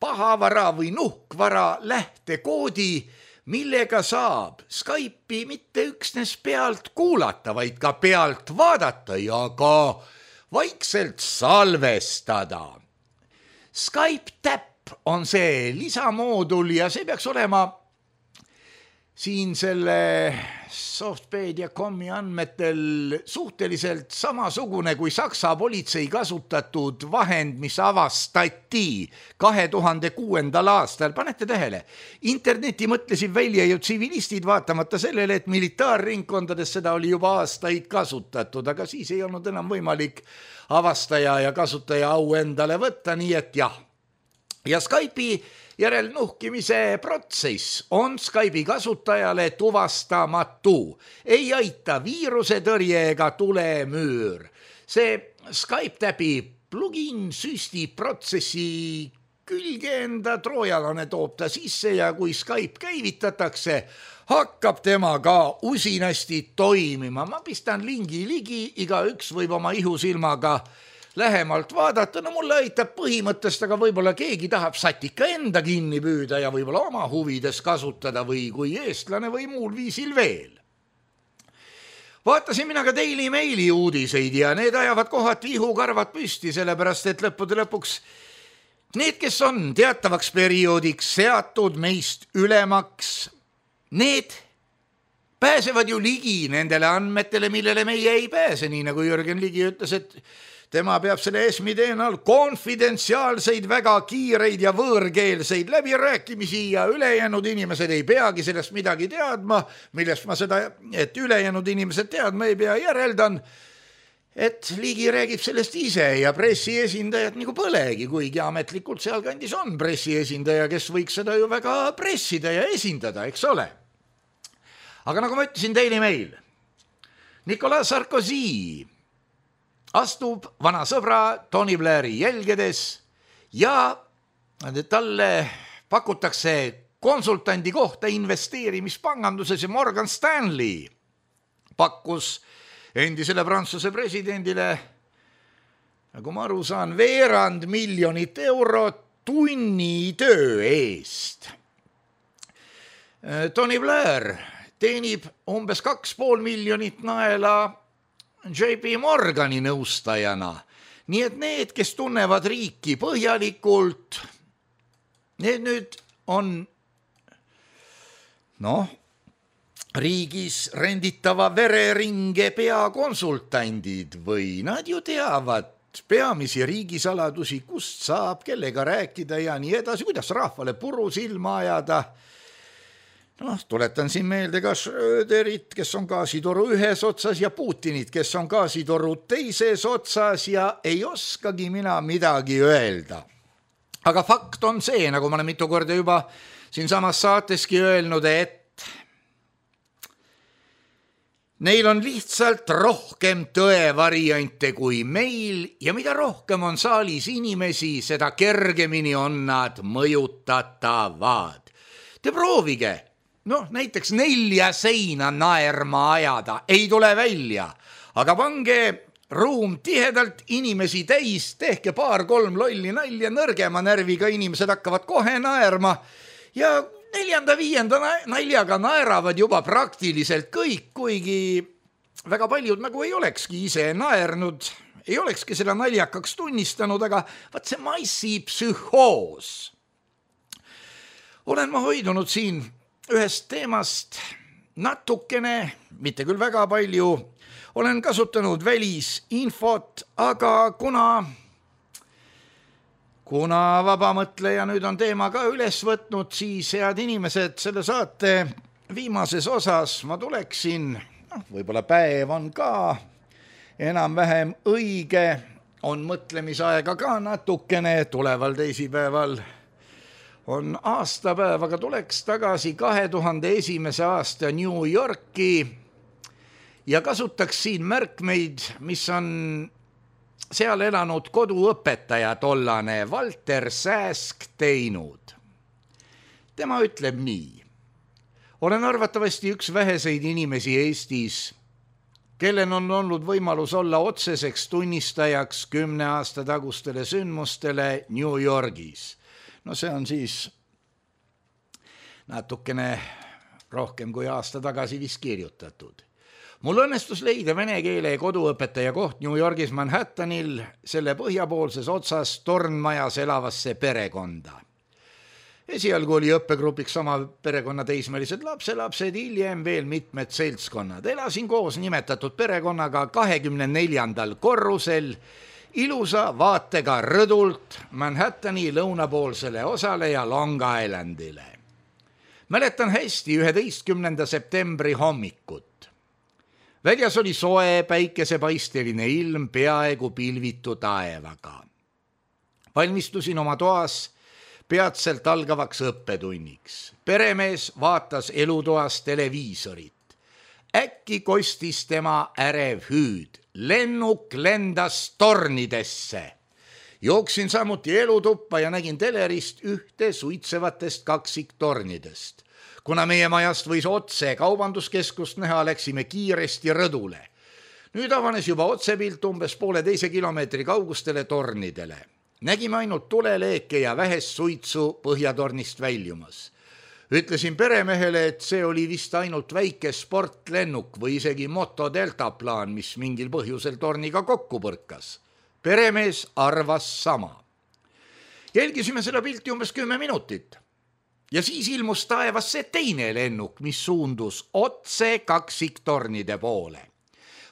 pahavara või nuhkvara lähtekoodi, millega saab Skype'i mitte üksnes pealt kuulata, vaid ka pealt vaadata ja ka vaikselt salvestada. Skype Tap on see lisamoodul ja see peaks olema siin selle Softpedia.comi andmetel suhteliselt samasugune kui Saksa politsei kasutatud vahend, mis avastati 2006. aastal. Panete tähele, interneti mõtlesid välja ju tsivilistid vaatamata sellele, et militaarringkondades seda oli juba aastaid kasutatud, aga siis ei olnud enam võimalik avastaja ja kasutaja au endale võtta, nii et jah. Ja Skype'i järelnuhkimise protsess on Skype'i kasutajale tuvastamatu. Ei aita viiruse tõrje ega tulemüür. See Skype Tapi plugin süstib protsessi külge enda troojalane, toob ta sisse ja kui Skype käivitatakse, hakkab tema ka usinasti toimima. Ma pistan lingi ligi, igaüks võib oma ihusilmaga lähemalt vaadata, no mulle aitab põhimõttest, aga võib-olla keegi tahab satika enda kinni püüda ja võib-olla oma huvides kasutada või kui eestlane või muul viisil veel. Vaatasin mina ka Daily Maili uudiseid ja need ajavad kohati ihukarvad püsti, sellepärast et lõppude lõpuks need, kes on teatavaks perioodiks seatud meist ülemaks, need pääsevad ju ligi nendele andmetele, millele meie ei pääse, nii nagu Jürgen Ligi ütles, et tema peab selle ESM-i teenal konfidentsiaalseid, väga kiireid ja võõrkeelseid läbirääkimisi ja ülejäänud inimesed ei peagi sellest midagi teadma, millest ma seda, et ülejäänud inimesed teadma ei pea, järeldan, et Ligi räägib sellest ise ja pressiesindajad nagu põlegi, kuigi ametlikult sealkandis on pressiesindaja, kes võiks seda ju väga pressida ja esindada, eks ole. Aga nagu ma ütlesin Daily Mail, Nicolas Sarkozy astub vana sõbra Tony Blairi jälgedes ja talle pakutakse konsultandi kohta investeerimispanganduses ja Morgan Stanley pakkus endisele Prantsuse presidendile, nagu ma aru saan, €200 000 tunnitöö eest. Tony Blair teenib umbes 2,5 miljonit naela JP Morgani nõustajana. Nii et need, kes tunnevad riiki põhjalikult, need nüüd on riigis renditava vereringe peakonsultandid või nad ju teavad peamisi riigisaladusi, kust saab, kellega rääkida ja nii edasi, kuidas rahvale puru silma ajada. Tuletan siin meelde ka Schröderit, kes on gaasitoru ühes otsas ja Putinit, kes on gaasitoru teises otsas ja ei oskagi mina midagi öelda. Aga fakt on see, nagu ma olen mitu korda juba siin samas saateski öelnud, et neil on lihtsalt rohkem tõevariante kui meil ja mida rohkem on saalis inimesi, seda kergemini on nad mõjutatavad. Te proovige, näiteks 4 seina naerma ajada, ei tule välja, aga pange ruum tihedalt inimesi täis, tehke 2-3 lolli nalja, nõrgema närviga inimesed hakkavad kohe naerma ja 4.-5. naljaga naeravad juba praktiliselt kõik, kuigi väga paljud nagu ei olekski ise naernud, ei olekski seda naljakaks tunnistanud, aga vaat see massipsühhoos. Olen ma hoidunud siin ühest teemast natukene, mitte küll väga palju, olen kasutanud välisinfot, aga kuna vabamõtleja nüüd on teema ka üles võtnud, siis head inimesed, selle saate viimases osas ma tuleksin, võib-olla päev on ka enam-vähem õige, on mõtlemisaega ka natukene, tuleval teisipäeval on aastapäev, aga tuleks tagasi 2001. aasta New Yorki ja kasutaks siin märkmeid, mis on seal elanud koduõpetaja tollane Walter Sääsk teinud. Tema ütleb nii. Olen arvatavasti üks väheseid inimesi Eestis, kellen on olnud võimalus olla otseseks tunnistajaks 10 aasta tagustele sündmustele New Yorgis. See on siis natukene rohkem kui aasta tagasi vist kirjutatud. Mul õnnestus leida vene keele koduõpetaja koht New Yorgis Manhattanil selle põhjapoolses otsas tornmajas elavasse perekonda. Esialgu oli õppegrupiks sama perekonna teismelised lapselapsed, hiljem veel mitmed seltskonnad. Elasin koos nimetatud perekonnaga 24. korrusel ilusa vaatega rõdult Manhattani lõunapoolsele osale ja Long Islandile. Mäletan hästi 11. septembri hommikut. Väljas oli soe päikesepaisteline ilm peaaegu pilvitu taevaga. Valmistusin oma toas peatselt algavaks õppetunniks. Peremees vaatas elutoas televiisorit. Äkki kostis tema ärev hüüd. Lennuk lendas tornidesse. Jooksin samuti elutuppa ja nägin telerist ühte suitsevatest kaksiktornidest. Kuna meie majast võis otse kaubanduskeskust näha, läksime kiiresti rõdule. Nüüd avanes juba otsepilt umbes 1,5 kilomeetri kaugustele tornidele. Nägime ainult tuleleeke ja vähest suitsu põhjatornist väljumas. Ütlesin peremehele, et see oli vist ainult väike sportlennuk või isegi motodeltaplaan, mis mingil põhjusel torniga kokku põrkas. Peremees arvas sama. Jälgisime seda pilti umbes 10 minutit. Ja siis ilmus taevasse teine lennuk, mis suundus otse kaksiktornide poole.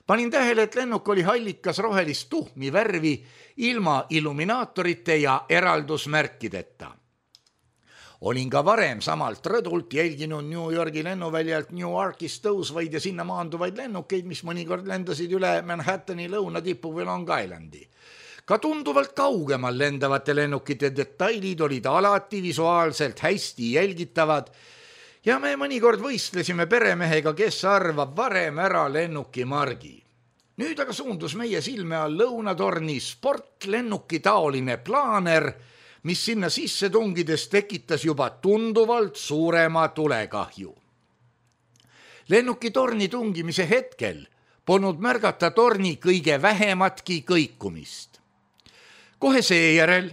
Panin tähele, et lennuk oli hallikas rohelist tuhmi värvi ilma illuminaatorite ja eraldusmärkideta. Olin ka varem samalt rõdult jälginud New Yorgi lennuväljalt Newarkist tõusvaid ja sinna maanduvaid lennukeid, mis mõnikord lendasid üle Manhattani lõunatipu või Long Islandi. Ka tunduvalt kaugemal lendavate lennukite detailid olid alati visuaalselt hästi jälgitavad ja me mõnikord võistlesime peremehega, kes arvab varem ära lennuki margi. Nüüd aga suundus meie silme all lõunatorni sportlennuki taoline plaaner, mis sinna sisse tungides tekitas juba tunduvalt suurema tulekahju. Lennuki torni tungimise hetkel polnud märgata torni kõige vähematki kõikumist. Kohe seejärel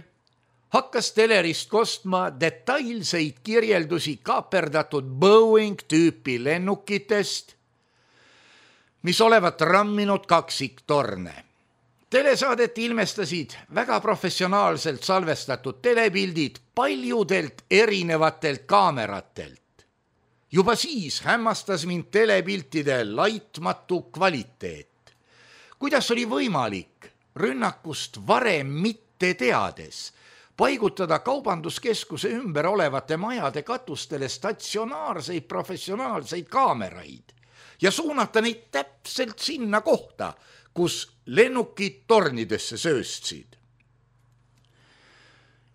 hakkas telerist kostma detailseid kirjeldusi kaaperdatud Boeing tüüpi lennukitest, mis olevat ramminud kaksiktorne. Telesaadet ilmestasid väga professionaalselt salvestatud telepildid paljudelt erinevatelt kaameratelt. Juba siis hämmastas mind telepiltide laitmatu kvaliteet. Kuidas oli võimalik rünnakust varem mitte teades paigutada kaubanduskeskuse ümber olevate majade katustele statsionaarseid professionaalseid kaameraid ja suunata neid täpselt sinna kohta, kus lennukid tornidesse sööstsid.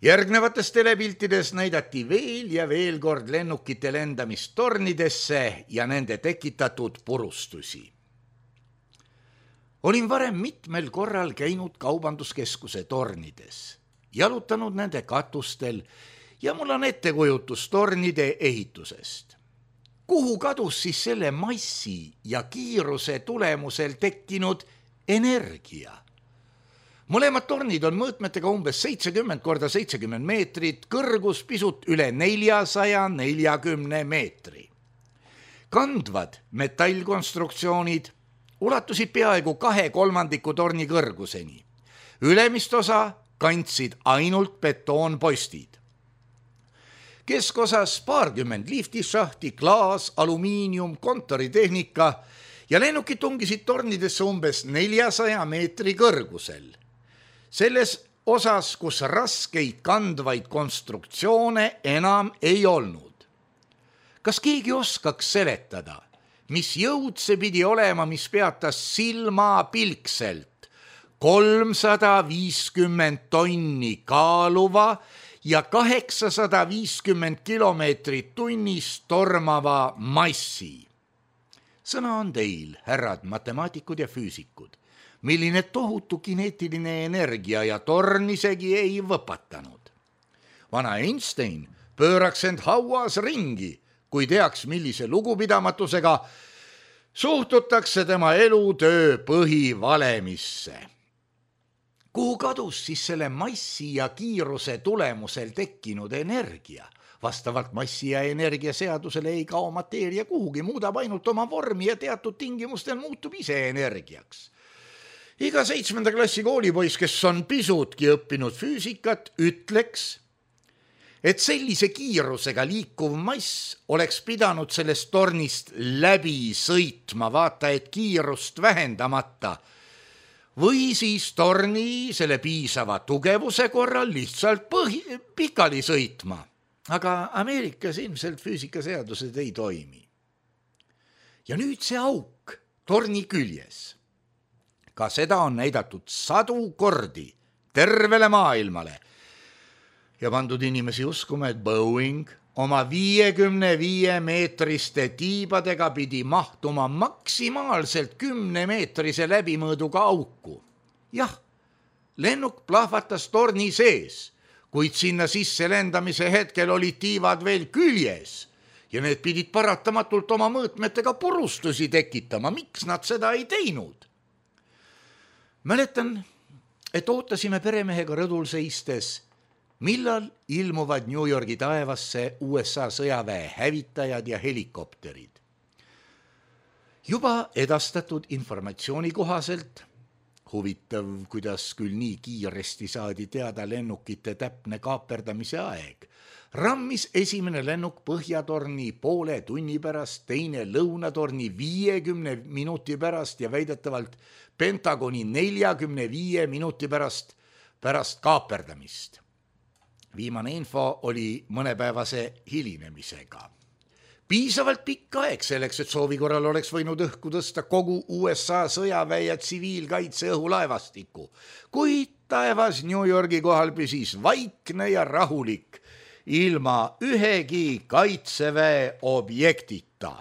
Järgnevates telepiltides näidati veel ja veel kord lennukite lendamist tornidesse ja nende tekitatud purustusi. Olin varem mitmel korral käinud kaubanduskeskuse tornides, jalutanud nende katustel ja mul on ettekujutus tornide ehitusest. Kuhu kadus siis selle massi ja kiiruse tulemusel tekkinud energia? Mõlemad tornid on mõõtmetega umbes 70 × 70 meetrit, kõrgus pisut üle 440 meetri. Kandvad metallkonstruktsioonid ulatusid peaaegu 2/3 torni kõrguseni. Ülemist osa kandsid ainult betoonpostid. Keskosas paarkümmend liftisšahti, klaas, alumiinium, kontoritehnika ja lennukid tungisid tornidesse umbes 400 meetri kõrgusel. Selles osas, kus raskeid kandvaid konstruktsioone enam ei olnud. Kas keegi oskaks seletada, mis jõud see pidi olema, mis peatas silmapilkselt 350 tonni kaaluva ja 850 kilomeetrit tunnis tormava massi? Sõna on teil, härrad matemaatikud ja füüsikud, milline tohutu kineetiline energia ja torn isegi ei võpatanud. Vana Einstein pööraks end hauas ringi, kui teaks, millise lugupidamatusega suhtutakse tema elutöö põhivalemisse. Kuhu kadus siis selle massi ja kiiruse tulemusel tekkinud energia? Vastavalt massi ja energia seadusele ei kao mateeria kuhugi, muudab ainult oma vormi ja teatud tingimustel muutub ise energiaks. Iga 7. klassi koolipoiss, kes on pisutki õppinud füüsikat, ütleks, et sellise kiirusega liikuv mass oleks pidanud sellest tornist läbi sõitma, vaata et kiirust vähendamata, või siis torni selle piisava tugevuse korral lihtsalt pikali sõitma. Aga Ameerikas ilmselt füüsikaseadused ei toimi. Ja nüüd see auk torni küljes. Ka seda on näidatud 100 kordi tervele maailmale ja pandud inimesi uskuma, et Boeing oma 55-meetriste tiibadega pidi mahtuma maksimaalselt 10-meetrise läbimõõduga auku. Jah, lennuk plahvatas torni sees, kuid sinna sisse lendamise hetkel olid tiivad veel küljes ja need pidid paratamatult oma mõõtmetega purustusi tekitama. Miks nad seda ei teinud? Mäletan, et ootasime peremehega rõdul seistes, millal ilmuvad New Yorgi taevasse USA sõjaväe hävitajad ja helikopterid. Juba edastatud informatsiooni kohaselt, huvitav, kuidas küll nii kiiresti saadi teada lennukite täpne kaaperdamise aeg, rammis esimene lennuk Põhjatorni poole tunni pärast, teine Lõunatorni 50 minuti pärast ja väidetavalt Pentagoni 45 minuti pärast kaaperdamist. Viimane info oli mõnepäevase hilinemisega. Piisavalt pikk aeg selleks, et soovi korral oleks võinud õhku tõsta kogu USA sõjaväe ja tsiviilkaitse õhulaevastiku, kuid taevas New Yorgi kohal püsis vaikne ja rahulik, ilma ühegi kaitseväe objektita.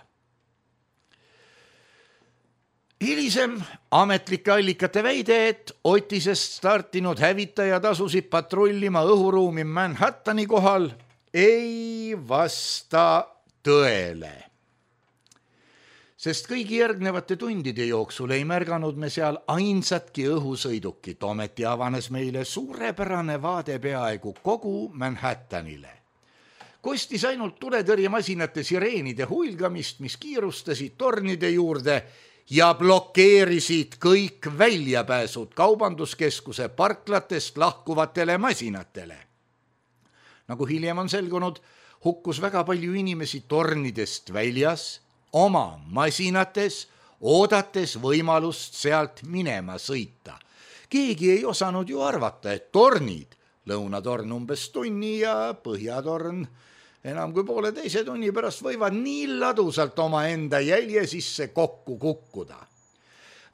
Hilisem ametlike allikate väide, et Otisest startinud hävitajad asusid patrullima õhuruumi Manhattani kohal, ei vasta tõele. Sest kõigi järgnevate tundide jooksul ei märganud me seal ainsatki õhusõidukit, ometi avanes meile suurepärane vaade peaaegu kogu Manhattanile. Kostis ainult tuletõrjemasinate sireenide huilgamist, mis kiirustasid tornide juurde ja blokeerisid kõik väljapääsud kaubanduskeskuse parklatest lahkuvatele masinatele. Nagu hiljem on selgunud, hukkus väga palju inimesi tornidest väljas, oma masinates, oodates võimalust sealt minema sõita. Keegi ei osanud ju arvata, et tornid, Lõunatorn umbes tunni ja Põhjatorn enam kui poole teise tunni pärast võivad nii ladusalt omaenda jälje sisse kokku kukkuda.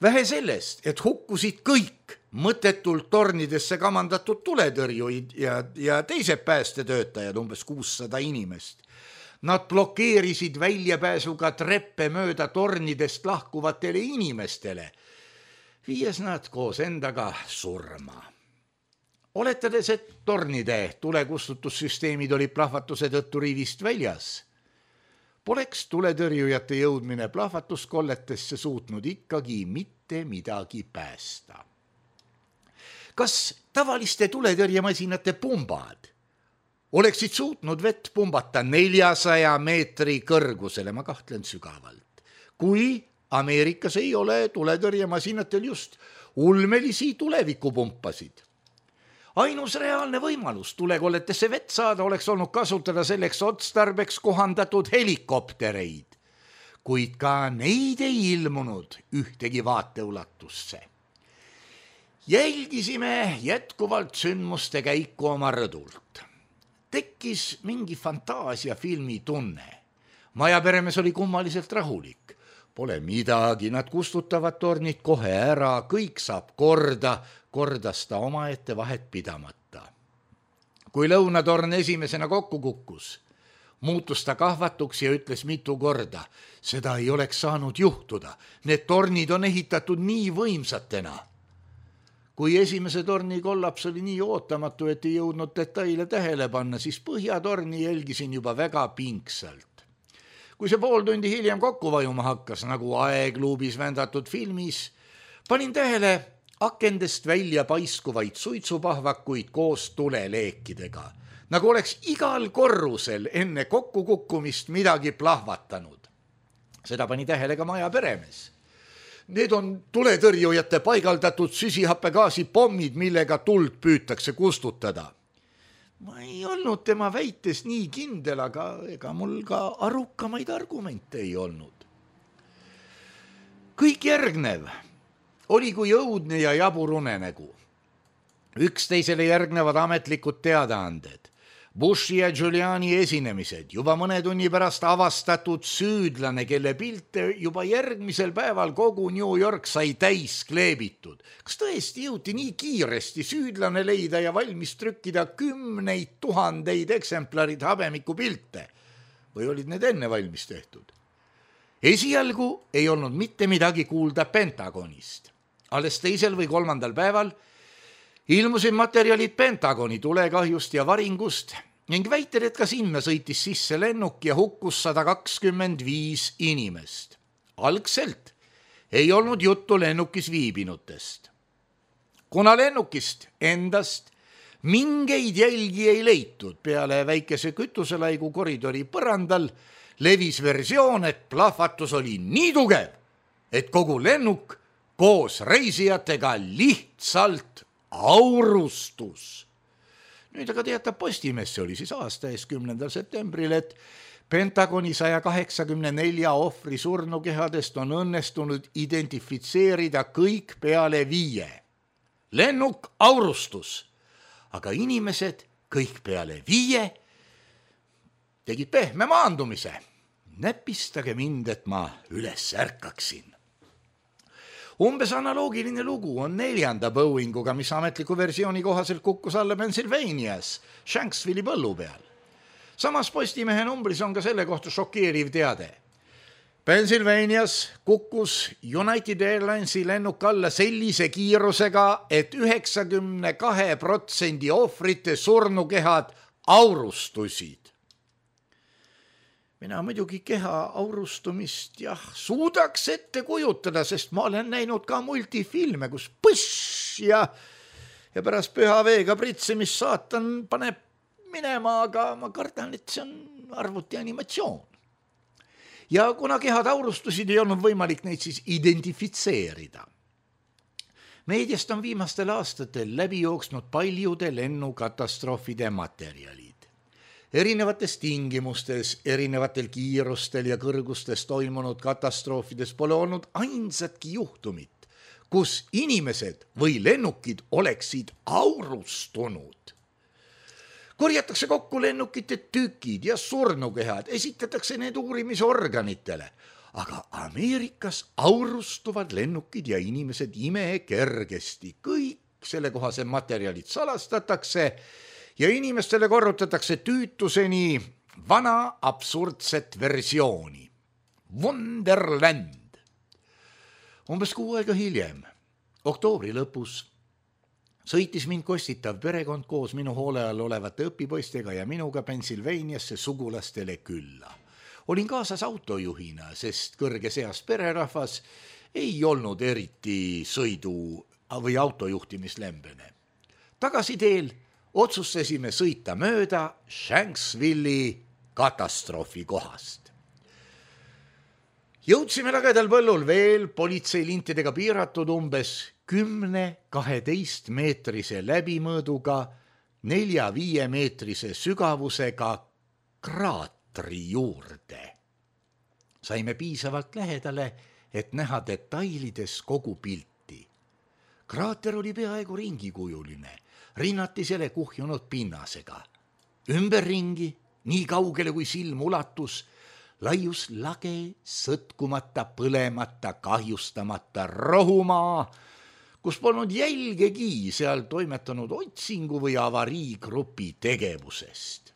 Vähe sellest, et hukkusid kõik mõttetult tornidesse kamandatud tuletõrjuid ja teised päästetöötajad, umbes 600 inimest. Nad blokeerisid väljapääsuga treppe mööda tornidest lahkuvatele inimestele, viies nad koos endaga surma. Oletades, et tornide tulekustutussüsteemid olid plahvatuse tõttu rivist väljas, poleks tuletõrjujate jõudmine plahvatuskolletesse suutnud ikkagi mitte midagi päästa. Kas tavaliste tuletõrjemasinate pumbad oleksid suutnud vett pumbata 400 meetri kõrgusele, ma kahtlen sügavalt, kui Ameerikas ei ole tuletõrjemasinatel just ulmelisi tulevikupumpasid? Ainus reaalne võimalus tulekolletesse vett saada oleks olnud kasutada selleks otstarbeks kohandatud helikoptereid, kuid ka neid ei ilmunud ühtegi vaateulatusse. Jälgisime jätkuvalt sündmuste käiku oma rõdult. Tekkis mingi fantaasiafilmi tunne. Majaperemees oli kummaliselt rahulik. Pole midagi, nad kustutavad tornid kohe ära, kõik saab kordas ta omaette vahet pidamata. Kui Lõunatorn esimesena kokku kukkus, muutus ta kahvatuks ja ütles mitu korda, seda ei oleks saanud juhtuda, need tornid on ehitatud nii võimsatena. Kui esimese torni kollaps oli nii ootamatu, et ei jõudnud detaile tähele panna, siis Põhjatorni jälgisin juba väga pingsalt. Kui see pool tundi hiljem kokku vajuma hakkas, nagu aegluubis vändatud filmis, panin tähele akendest välja paiskuvaid suitsupahvakuid koos tuleleekidega, nagu oleks igal korrusel enne kokkukukkumist midagi plahvatanud. Seda pani tähele ka maja peremees. Need on tuletõrjujate paigaldatud süsihappegaasi pommid, millega tuld püütakse kustutada. Ma ei olnud tema väites nii kindel, aga ega mul ka arukamaid argumente ei olnud. Kõik järgnev oli kui õudne ja jabur unenägu. Üksteisele järgnevad ametlikud teadaanded, Bushi ja Giuliani esinemised, juba mõne tunni pärast avastatud süüdlane, kelle pilte juba järgmisel päeval kogu New York sai täis kleebitud. Kas tõesti jõuti nii kiiresti süüdlane leida ja valmis trükkida 10 000 eksemplarid habemiku pilte? Või olid need enne valmis tehtud? Esialgu ei olnud mitte midagi kuulda Pentagonist. Alles 2. või 3. päeval ilmusid materjalid Pentagoni tulekahjust ja varingust ning väited, et ka sinna sõitis sisse lennuk ja hukkus 125 inimest. Algselt ei olnud juttu lennukis viibinutest. Kuna lennukist endast mingeid jälgi ei leitud peale väikese kütuselaigu koridori põrandal, levis versioon, et plahvatus oli nii tugev, et kogu lennuk koos reisijatega lihtsalt aurustus. Nüüd aga teatab Postimees, see oli siis aasta ees 10. septembril, et Pentagoni 184 ohvri surnukehadest on õnnestunud identifitseerida kõik peale 5. Lennuk aurustus, aga inimesed kõik peale 5 tegid pehme maandumise. Näpistage mind, et ma üles ärkaksin. Umbes analoogiline lugu on 4. Boeinguga, mis ametliku versiooni kohaselt kukkus alla Pennsylvanias, Shanksville'i põllu peal. Samas Postimehe numbris on ka selle kohta šokeeriv teade. Pennsylvanias kukkus United Airlinesi lennuk alla sellise kiirusega, et 92% ohvrite surnukehad aurustusid. Mina muidugi keha aurustumist suudaks ette kujutada, sest ma olen näinud ka multifilme, kus põss ja pärast püha veega pritsemist saatan paneb minema, aga ma kardan, et see on arvuti animatsioon. Ja kuna kehad aurustusid, ei olnud võimalik neid siis identifitseerida. Meediast on viimastel aastatel läbi jooksnud paljude lennukatastroofide materjalid. Erinevates tingimustes, erinevatel kiirustel ja kõrgustes toimunud katastroofides pole olnud ainsatki juhtumit, kus inimesed või lennukid oleksid aurustunud. Korjatakse kokku lennukite tükid ja surnukehad, esitatakse need uurimisorganitele, aga Ameerikas aurustuvad lennukid ja inimesed imekergesti. Kõik sellekohase materjalid salastatakse ja inimestele korrutatakse tüütuseni vana absurdset versiooni. Wonderland. Umbes 6 aega hiljem, oktoobri lõpus, sõitis mind kostitav perekond koos minu hoole all olevate õpipoistega ja minuga Pennsylvaniasse sugulastele külla. Olin kaasas autojuhina, sest kõrges eas pererahvas ei olnud eriti sõidu või autojuhtimislembene. Tagasiteel otsustasime sõita mööda Shanksville'i katastroofi kohast. Jõudsime lagedal põllul veel politseilintidega piiratud umbes 10-12 meetrise läbimõõduga 4-5 meetrise sügavusega kraatri juurde. Saime piisavalt lähedale, et näha detailides kogu pilti. Kraater oli peaaegu ringikujuline, rinnatisele kuhjunud pinnasega. Ümberringi, nii kaugele kui silm ulatus, laius lage, sõtkumata, põlemata, kahjustamata rohumaa, kus polnud jälgegi seal toimetanud otsingu või avariigrupi tegevusest.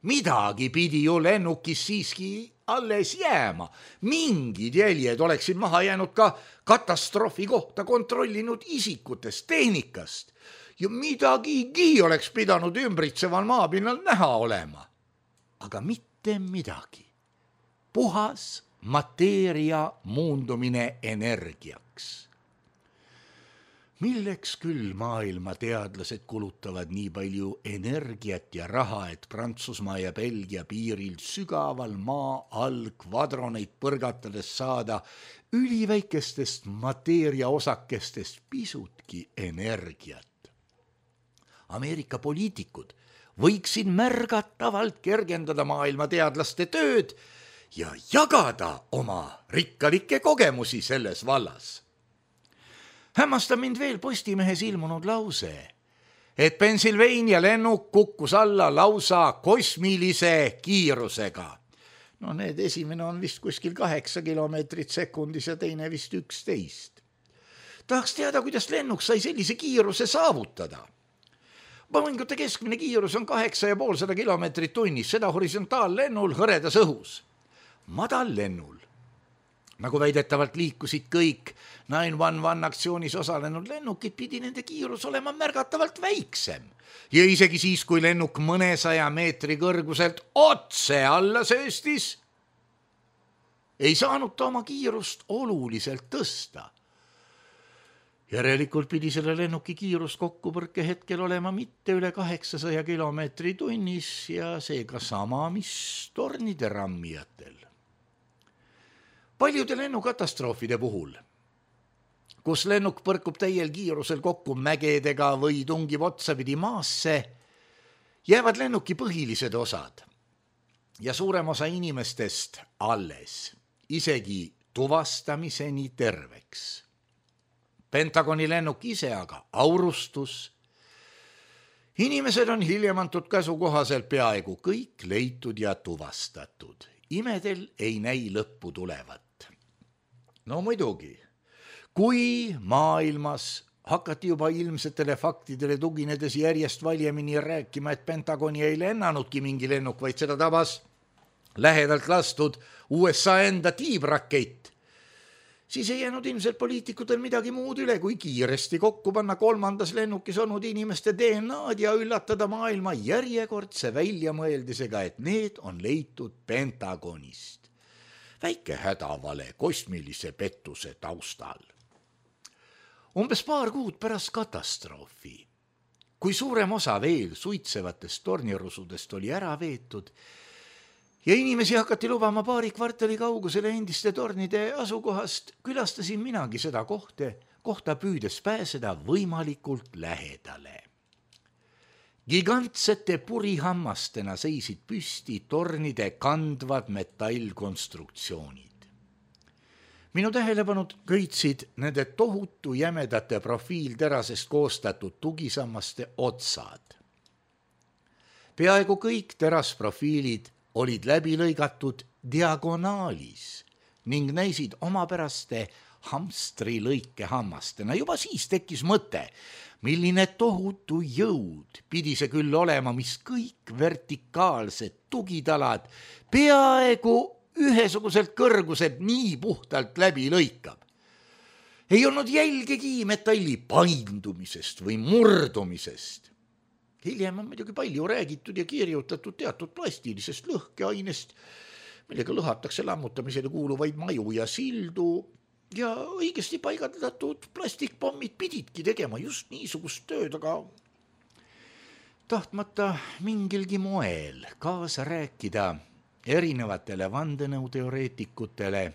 Midagi pidi ju lennukis siiski alles jääma. Mingid jäljed oleksid maha jäänud ka katastroofi kohta kontrollinud isikutest, tehnikast. Ja midagigi oleks pidanud ümbritseval maapinnal näha olema. Aga mitte midagi. Puhas mateeria muundumine energiaks. Milleks küll maailma teadlased kulutavad nii palju energiat ja raha, et Prantsusmaa ja Belgia piiril sügaval maa all kvadroneid põrgatades saada üliväikestest mateeria osakestest pisutki energiat? Ameerika poliitikud võiksid märgatavalt kergendada maailma teadlaste tööd ja jagada oma rikkalikke kogemusi selles vallas. Hämmastab mind veel Postimehes ilmunud lause, et Pennsylvania lennuk kukkus alla lausa kosmilise kiirusega. No need esimene on vist kuskil 8 kilomeetrit sekundis ja teine vist 11. Tahaks teada, kuidas lennuk sai sellise kiiruse saavutada. Boeingute keskmine kiirus on 8,5 kilomeetrit tunnis, seda horisontaallennul hõredas õhus. Madallennul, nagu väidetavalt liikusid kõik 911 aktsioonis osalenud lennukid, pidi nende kiirus olema märgatavalt väiksem. Ja isegi siis, kui lennuk mõnesaja meetri kõrguselt otse alla sööstis, ei saanud ta oma kiirust oluliselt tõsta. Järelikult pidi selle lennuki kiirus kokkupõrke hetkel olema mitte üle 800 kilomeetri tunnis ja seega sama, mis tornide rammijatel. Paljude lennukatastroofide puhul, kus lennuk põrkub täiel kiirusel kokku mägedega või tungib otsapidi maasse, Jäävad lennuki põhilised osad ja suurem osa inimestest alles, isegi tuvastamiseni terveks. Pentagoni lennuk ise aga aurustus. Inimesed on hiljem antud käsu kohaselt peaaegu kõik leitud ja tuvastatud. Imedel ei näi lõppu tulevat. No muidugi, kui maailmas hakati juba ilmsetele faktidele tuginedes järjest valjemini rääkima, et Pentagoni ei lennanudki mingi lennuk, vaid seda tabas lähedalt lastud USA enda tiibrakett, siis ei jäänud ilmselt poliitikutel midagi muud üle, kui kiiresti kokku panna 3. lennukis olnud inimeste DNA-d ja üllatada maailma järjekordse väljamõeldisega, et need on leitud Pentagonist. Väike hädavale kosmilise pettuse taustal. Umbes paar kuud pärast katastroofi, kui suurem osa veel suitsevatest tornirusudest oli ära veetud ja inimesi hakati lubama paari kvartali kaugusele endiste tornide asukohast, külastasin minagi seda kohta püüdes pääseda võimalikult lähedale. Gigantsete purihammastena seisid püsti tornide kandvad metallkonstruktsioonid. Minu tähelepanud köitsid nende tohutu jämedate profiilterasest koostatud tugisammaste otsad. Peaaegu kõik terasprofiilid olid läbi lõigatud diagonaalis ning näisid omapäraste hamstrilõike hammastena. Juba siis tekkis mõte, milline tohutu jõud pidi see küll olema, mis kõik vertikaalsed tugitalad peaaegu ühesuguselt kõrguselt nii puhtalt läbi lõikab. Ei olnud jälgegi metalli paindumisest või murdumisest. Hiljem on muidugi palju räägitud ja kirjutatud teatud plastilisest lõhkeainest, millega lõhatakse lammutamisele kuuluvaid maju ja sildu ja õigesti paigaldatud plastikpommid pididki tegema just niisugust tööd, aga tahtmata mingilgi moel kaasa rääkida erinevatele vandenõuteoreetikutele,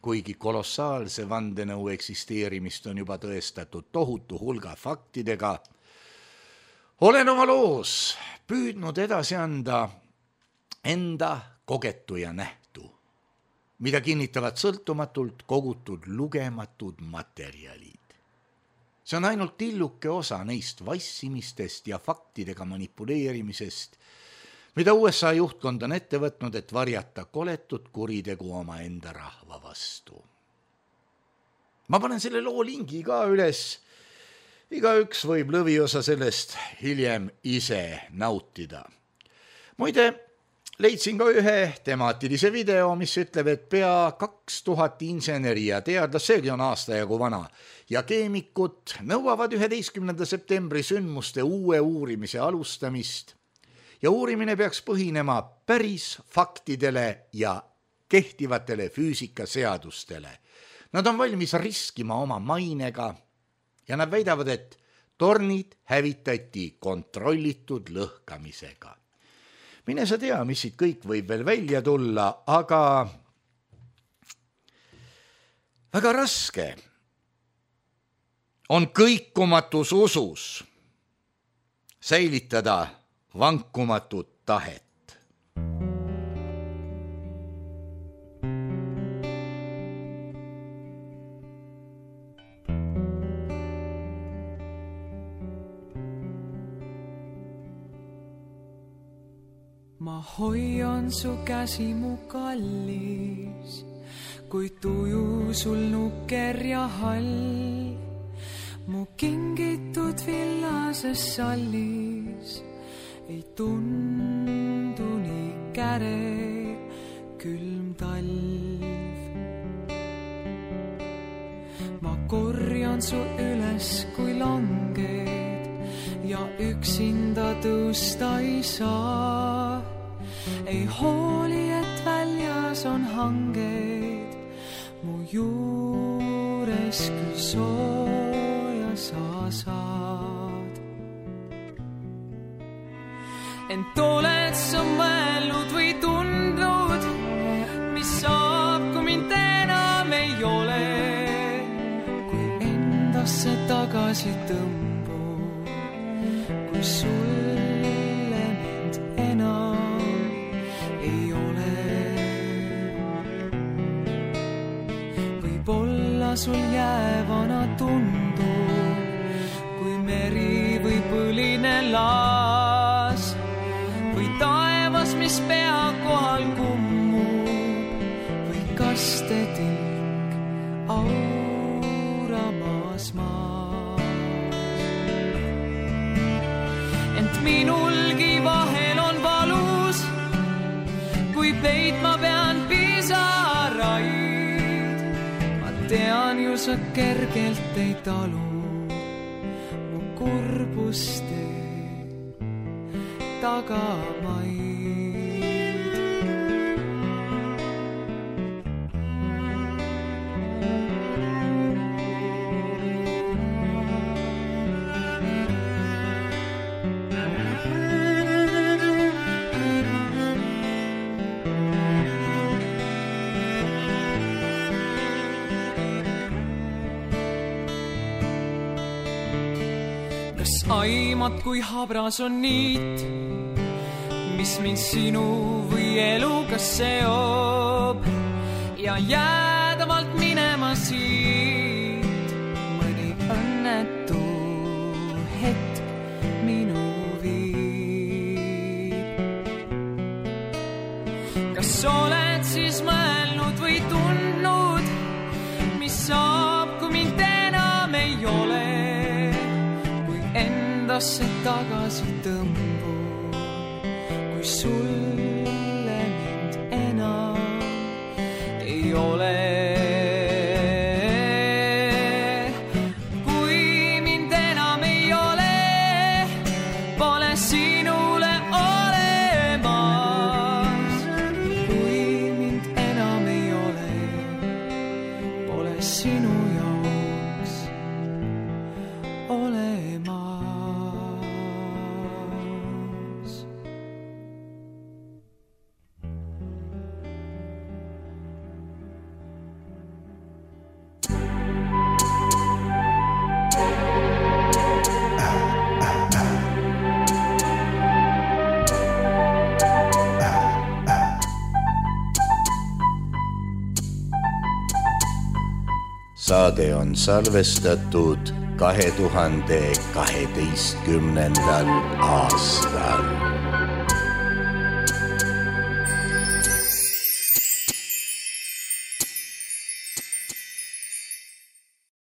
kuigi kolossaalse vandenõu eksisteerimist on juba tõestatud tohutu hulga faktidega, olen oma loos püüdnud edasi anda enda kogetu ja nähtu, mida kinnitavad sõltumatult kogutud lugematud materjalid. See on ainult tilluke osa neist vassimistest ja faktidega manipuleerimisest, mida USA juhtkond on ette võtnud, et varjata koletut kuritegu oma enda rahva vastu. Ma panen selle loo lingi ka üles. Igaüks võib lõviosa sellest hiljem ise nautida. Muide, leidsin ka ühe temaatilise video, mis ütleb, et pea 2000 inseneri ja teadlast, seegi on aastajagu vana, ja keemikut nõuavad 11. septembri sündmuste uue uurimise alustamist. Ja uurimine peaks põhinema päris faktidele ja kehtivatele füüsikaseadustele. Nad on valmis riskima oma mainega ja nad väidavad, et tornid hävitati kontrollitud lõhkamisega. Mine sa tea, mis siit kõik võib veel välja tulla, aga väga raske on kõikumatus usus säilitada vankumatut tahet. Ma hoian su käsi mu kallis, kui tuju sul nukker ja hall, mu kingitud villases sallis. Ei tundu nii käre külm talv. Ma korjan su üles kui langed ja üksinda tõusta ei saa. Ei hooli, et väljas on hanged, mu juures küll sooja sa saad. Ent oled sa mõelnud või tundnud, mis saab, kui mind enam ei ole, kui endasse tagasi tõmbub, kui sul sul jäävana tundub, kui meri või põline laas või taevas, mis pea kohal kummub või kastetilk auramas maas. Ent minulgi vahel on valus, kui peitma pean pisaraid. Ma tean ju sa kergelt ei talu mu kurbuste tagamaid. Aimad, kui habras on niit, mis mind sinu või eluga seob ja jäädavalt minema siit mõni õnnetu hetk minu viib. Kas oled siis mõelnud või tundnud, mis saab, kui mind enam ei ole? Endasse tagasi tõmbu, kui sulle mind enam ei ole. Kui mind enam ei ole, pole sinule olemas. Kui mind enam ei ole, pole sinu jaoks olemas. Saade on salvestatud 2012. aastal.